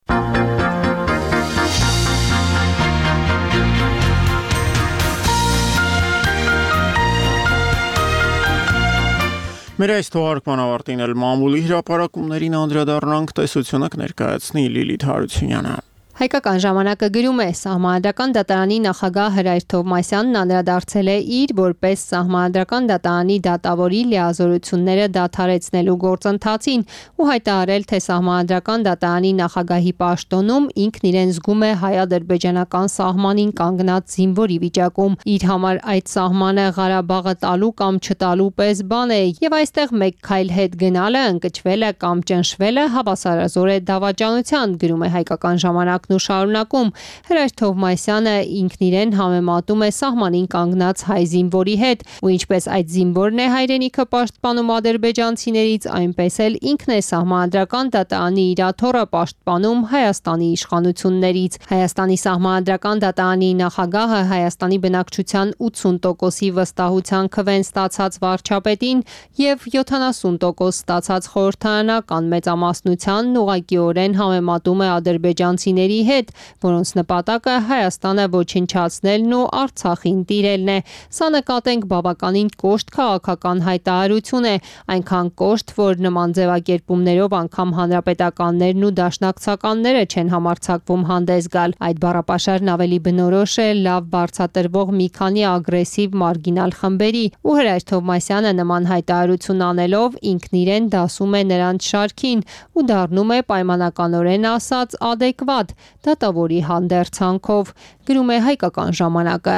Մեր այս թողարկման ավարտին էլ մամուլի հրապարակումներին անդրադառնանք, տեսությունը կներկայացնի Լիլիթ Հարությունյանը։ Հայկական ժամանակը գրում է Սահմանադրական դատարանի նախագահ Հրայր Թովմասյանն անդրադարձել է իր որպես Սահմանադրական դատարանի դատավորի լիազորությունները դադարեցնելու գործընթացին ու հայտարարել, թե Սահմանադրական դատարանի նախագահի պաշտոնում ինքն իրեն զգում է հայ-ադրբեջանական սահմանին կանգնած զինվորի վիճակում։ Իր համար այդ սահմանը Ղարաբաղը տալու կամ չտալու պես բան է եւ այստեղ մեկ քայլ հետ գնալը, ընկճվելը կամ ճնշվելը հավասարազոր է դավաճանության, գրում է Հայկական ժամանակ ու շարունակում Հրայր Թովմասյանը ինքն իրեն համեմատում է սահմանին կանգնած հայ զինվորի հետ ու ինչպես այդ զինվորն է հայրենիքը պաշտպանում ադրբեջանցիներից, այնպես էլ ինքն է Սահմանադրական դատարանի իրաթոռը պաշտպանում Հայաստանի իշխանություններից։ Հայաստանի Սահմանադրական դատարանի նախագահը Հայաստանի բնակչության 80%-ի վստահության քվեն ստացած վարչապետին եւ 70% ստացած խորհրդարանական մեծամասնությանն ուղղակիորեն համեմատում է ադրբեջանցիների հետ, որոնց նպատակը Հայաստանը ոչնչացնելն ու Արցախին տիրելն է։ Սա նկատենք բավականին կոշտ քաղաքական հայտարարություն է, այնքան կոշտ, որ նման ձևակերպումներով անգամ հանրապետականներն ու դաշնակցականները չեն համարձակվում հանդես գալ։ Այդ բառապաշարն ավելի բնորոշ է լավ բարձրատրվող մի քանի ագրեսիվ մարգինալ խմբերի ու Հրայր Թովմասյանը նման հայտարարություն անելով ինքն իրեն դասում է նրանց շարքին ու դառնում է պայմանականորեն ասած adekvat դատավորի հանդերձանքով, գրում է Հայկական ժամանակը։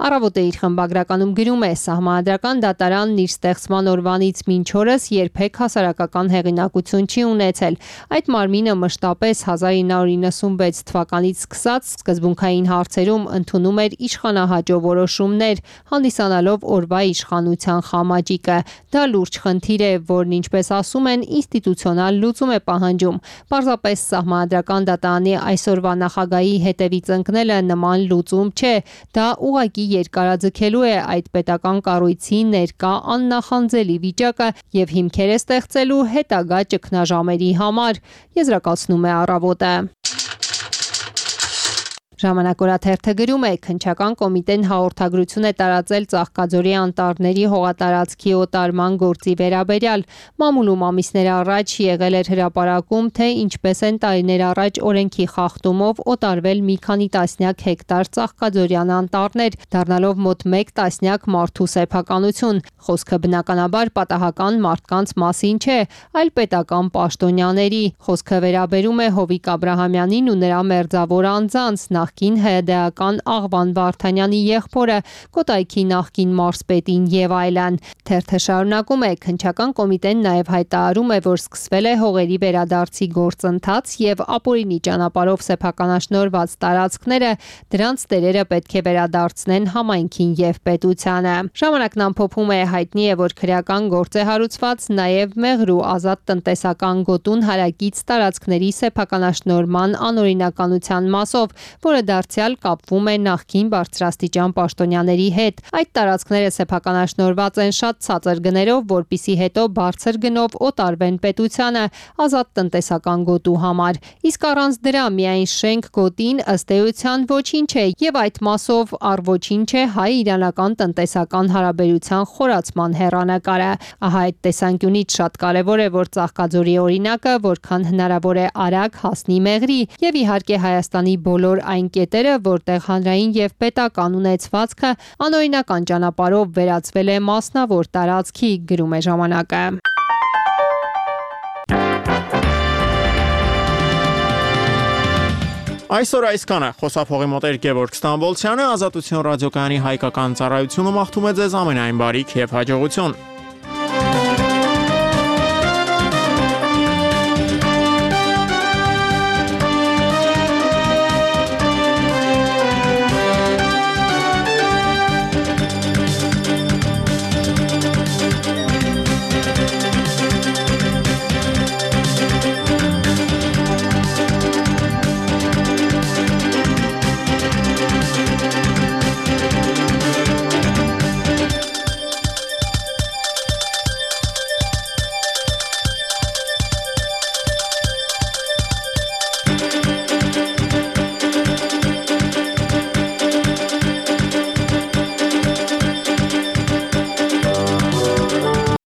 Առավոտը իր խմբագրականում գրում է. Սահմանադրական դատարանն իր ստեղծման օրվանից մինչ օրս երբեք հասարակական հեղինակություն չի ունեցել։ Այդ մարմինը մշտապես 1996 թվականից սկսած սկզբունքային հարցերում ընդունում էր իշխանահաճո որոշումներ, հանդիսանալով օրվա իշխանության խամաճիկը։ Դա լուրջ խնդիր է, որն ինչպես ասում են, ինստիտուցիոնալ լուծում է պահանջում։ Պարզապես Սահմանադրական դատարանի այսօրվա նախագահի հետևից ընկնելը նման լուծում չէ, դա ուղղակի երկարաձգելու է այդ պետական կառույցի ներկա աննախանձելի վիճակը եւ հիմքեր է ստեղծելու հետագա ճգնաժամերի համար, եզրակացնում է Առավոտը։ Ժամանակ օրաթերթը գրում է. Քննչական կոմիտեն հաղորդագրություն է տարածել Ծաղկաձորի անտառների հողատարածքի օտարման գործի վերաբերյալ։ Մամուլում ամիսներ առաջ եղել էր հրապարակում, թե ինչպես են տարիներ առաջ օրենքի խախտումով օտարվել մի քանի տասնյակ հեկտար ծաղկաձորյան անտառներ, դառնալով մոտ 1 տասնյակ մարդու սեփականություն։ Խոսքը բնականաբար պատահական մարդկանց մասին չէ, այլ պետական պաշտոնյաների։ Խոսքը վերաբերում է Հովիկ Աբրահամյանին ու նրա մերձավոր անձանց, նախկին ՀԴ-ական Աղվան Վարդանյանի եղբորը, Կոտայքի նախկին մարզպետին եւ այլն։ Թերթը շարունակում է. քննչական կոմիտեն նաեւ հայտարարում է, որ սկսվել է հողերի վերադարձի գործընթաց եւ ապօրինի ճանապարհով սեփականաշնորհված տարածքները դրանց տերերը պետք է վերադարձնեն համայնքին եւ պետությանը։ Ժամանակն ամփոփում է. հայտնի է, որ քրեական գործ է հարուցված նաեւ մեղր ու ազատ տնտեսական գոտուն հարակից տարածքների սեփականաշնորհման անօրինականության մասով, որը դարձյալ կապվում է նախկին բարձրաստիճան պաշտոնյաների հետ։ Այդ տարածքները սեփականաշնորհված են շատ ցածր գներով, որպիսի հետո բարձր գնով օտարվեն պետությանը ազատ տնտեսական գոտու համար։ Իսկ առանց դրա միայն շենք գոտին ըստ էության ոչինչ է եւ այդ մասով առ ոչինչ է հայ-իրանական տնտեսական հարաբերության խորացման հեռանկարը։ Ահա այդ տեսանկյունից շատ կարեւոր է, որ Ծաղկաձորի օրինակը որքան հնարավոր է արագ հասնի մեղրի եւ իհարկե Հայաստանի բոլոր այն կետերը, որտեղ հանրային եւ պետական ունեցվածքը անօրինական ճանապարհով վերածվել է մասնավոր տարածքի, գրում է ժամանակը։ Այսօր այսքանը։ Խոսափողի մոտ էր Գևորգ Ստամբոլցյանը, Ազատություն ռադիոկայանի հայկական ծառայությունը մաղթում է ձեզ ամենայն բարիք եւ հաջողություն։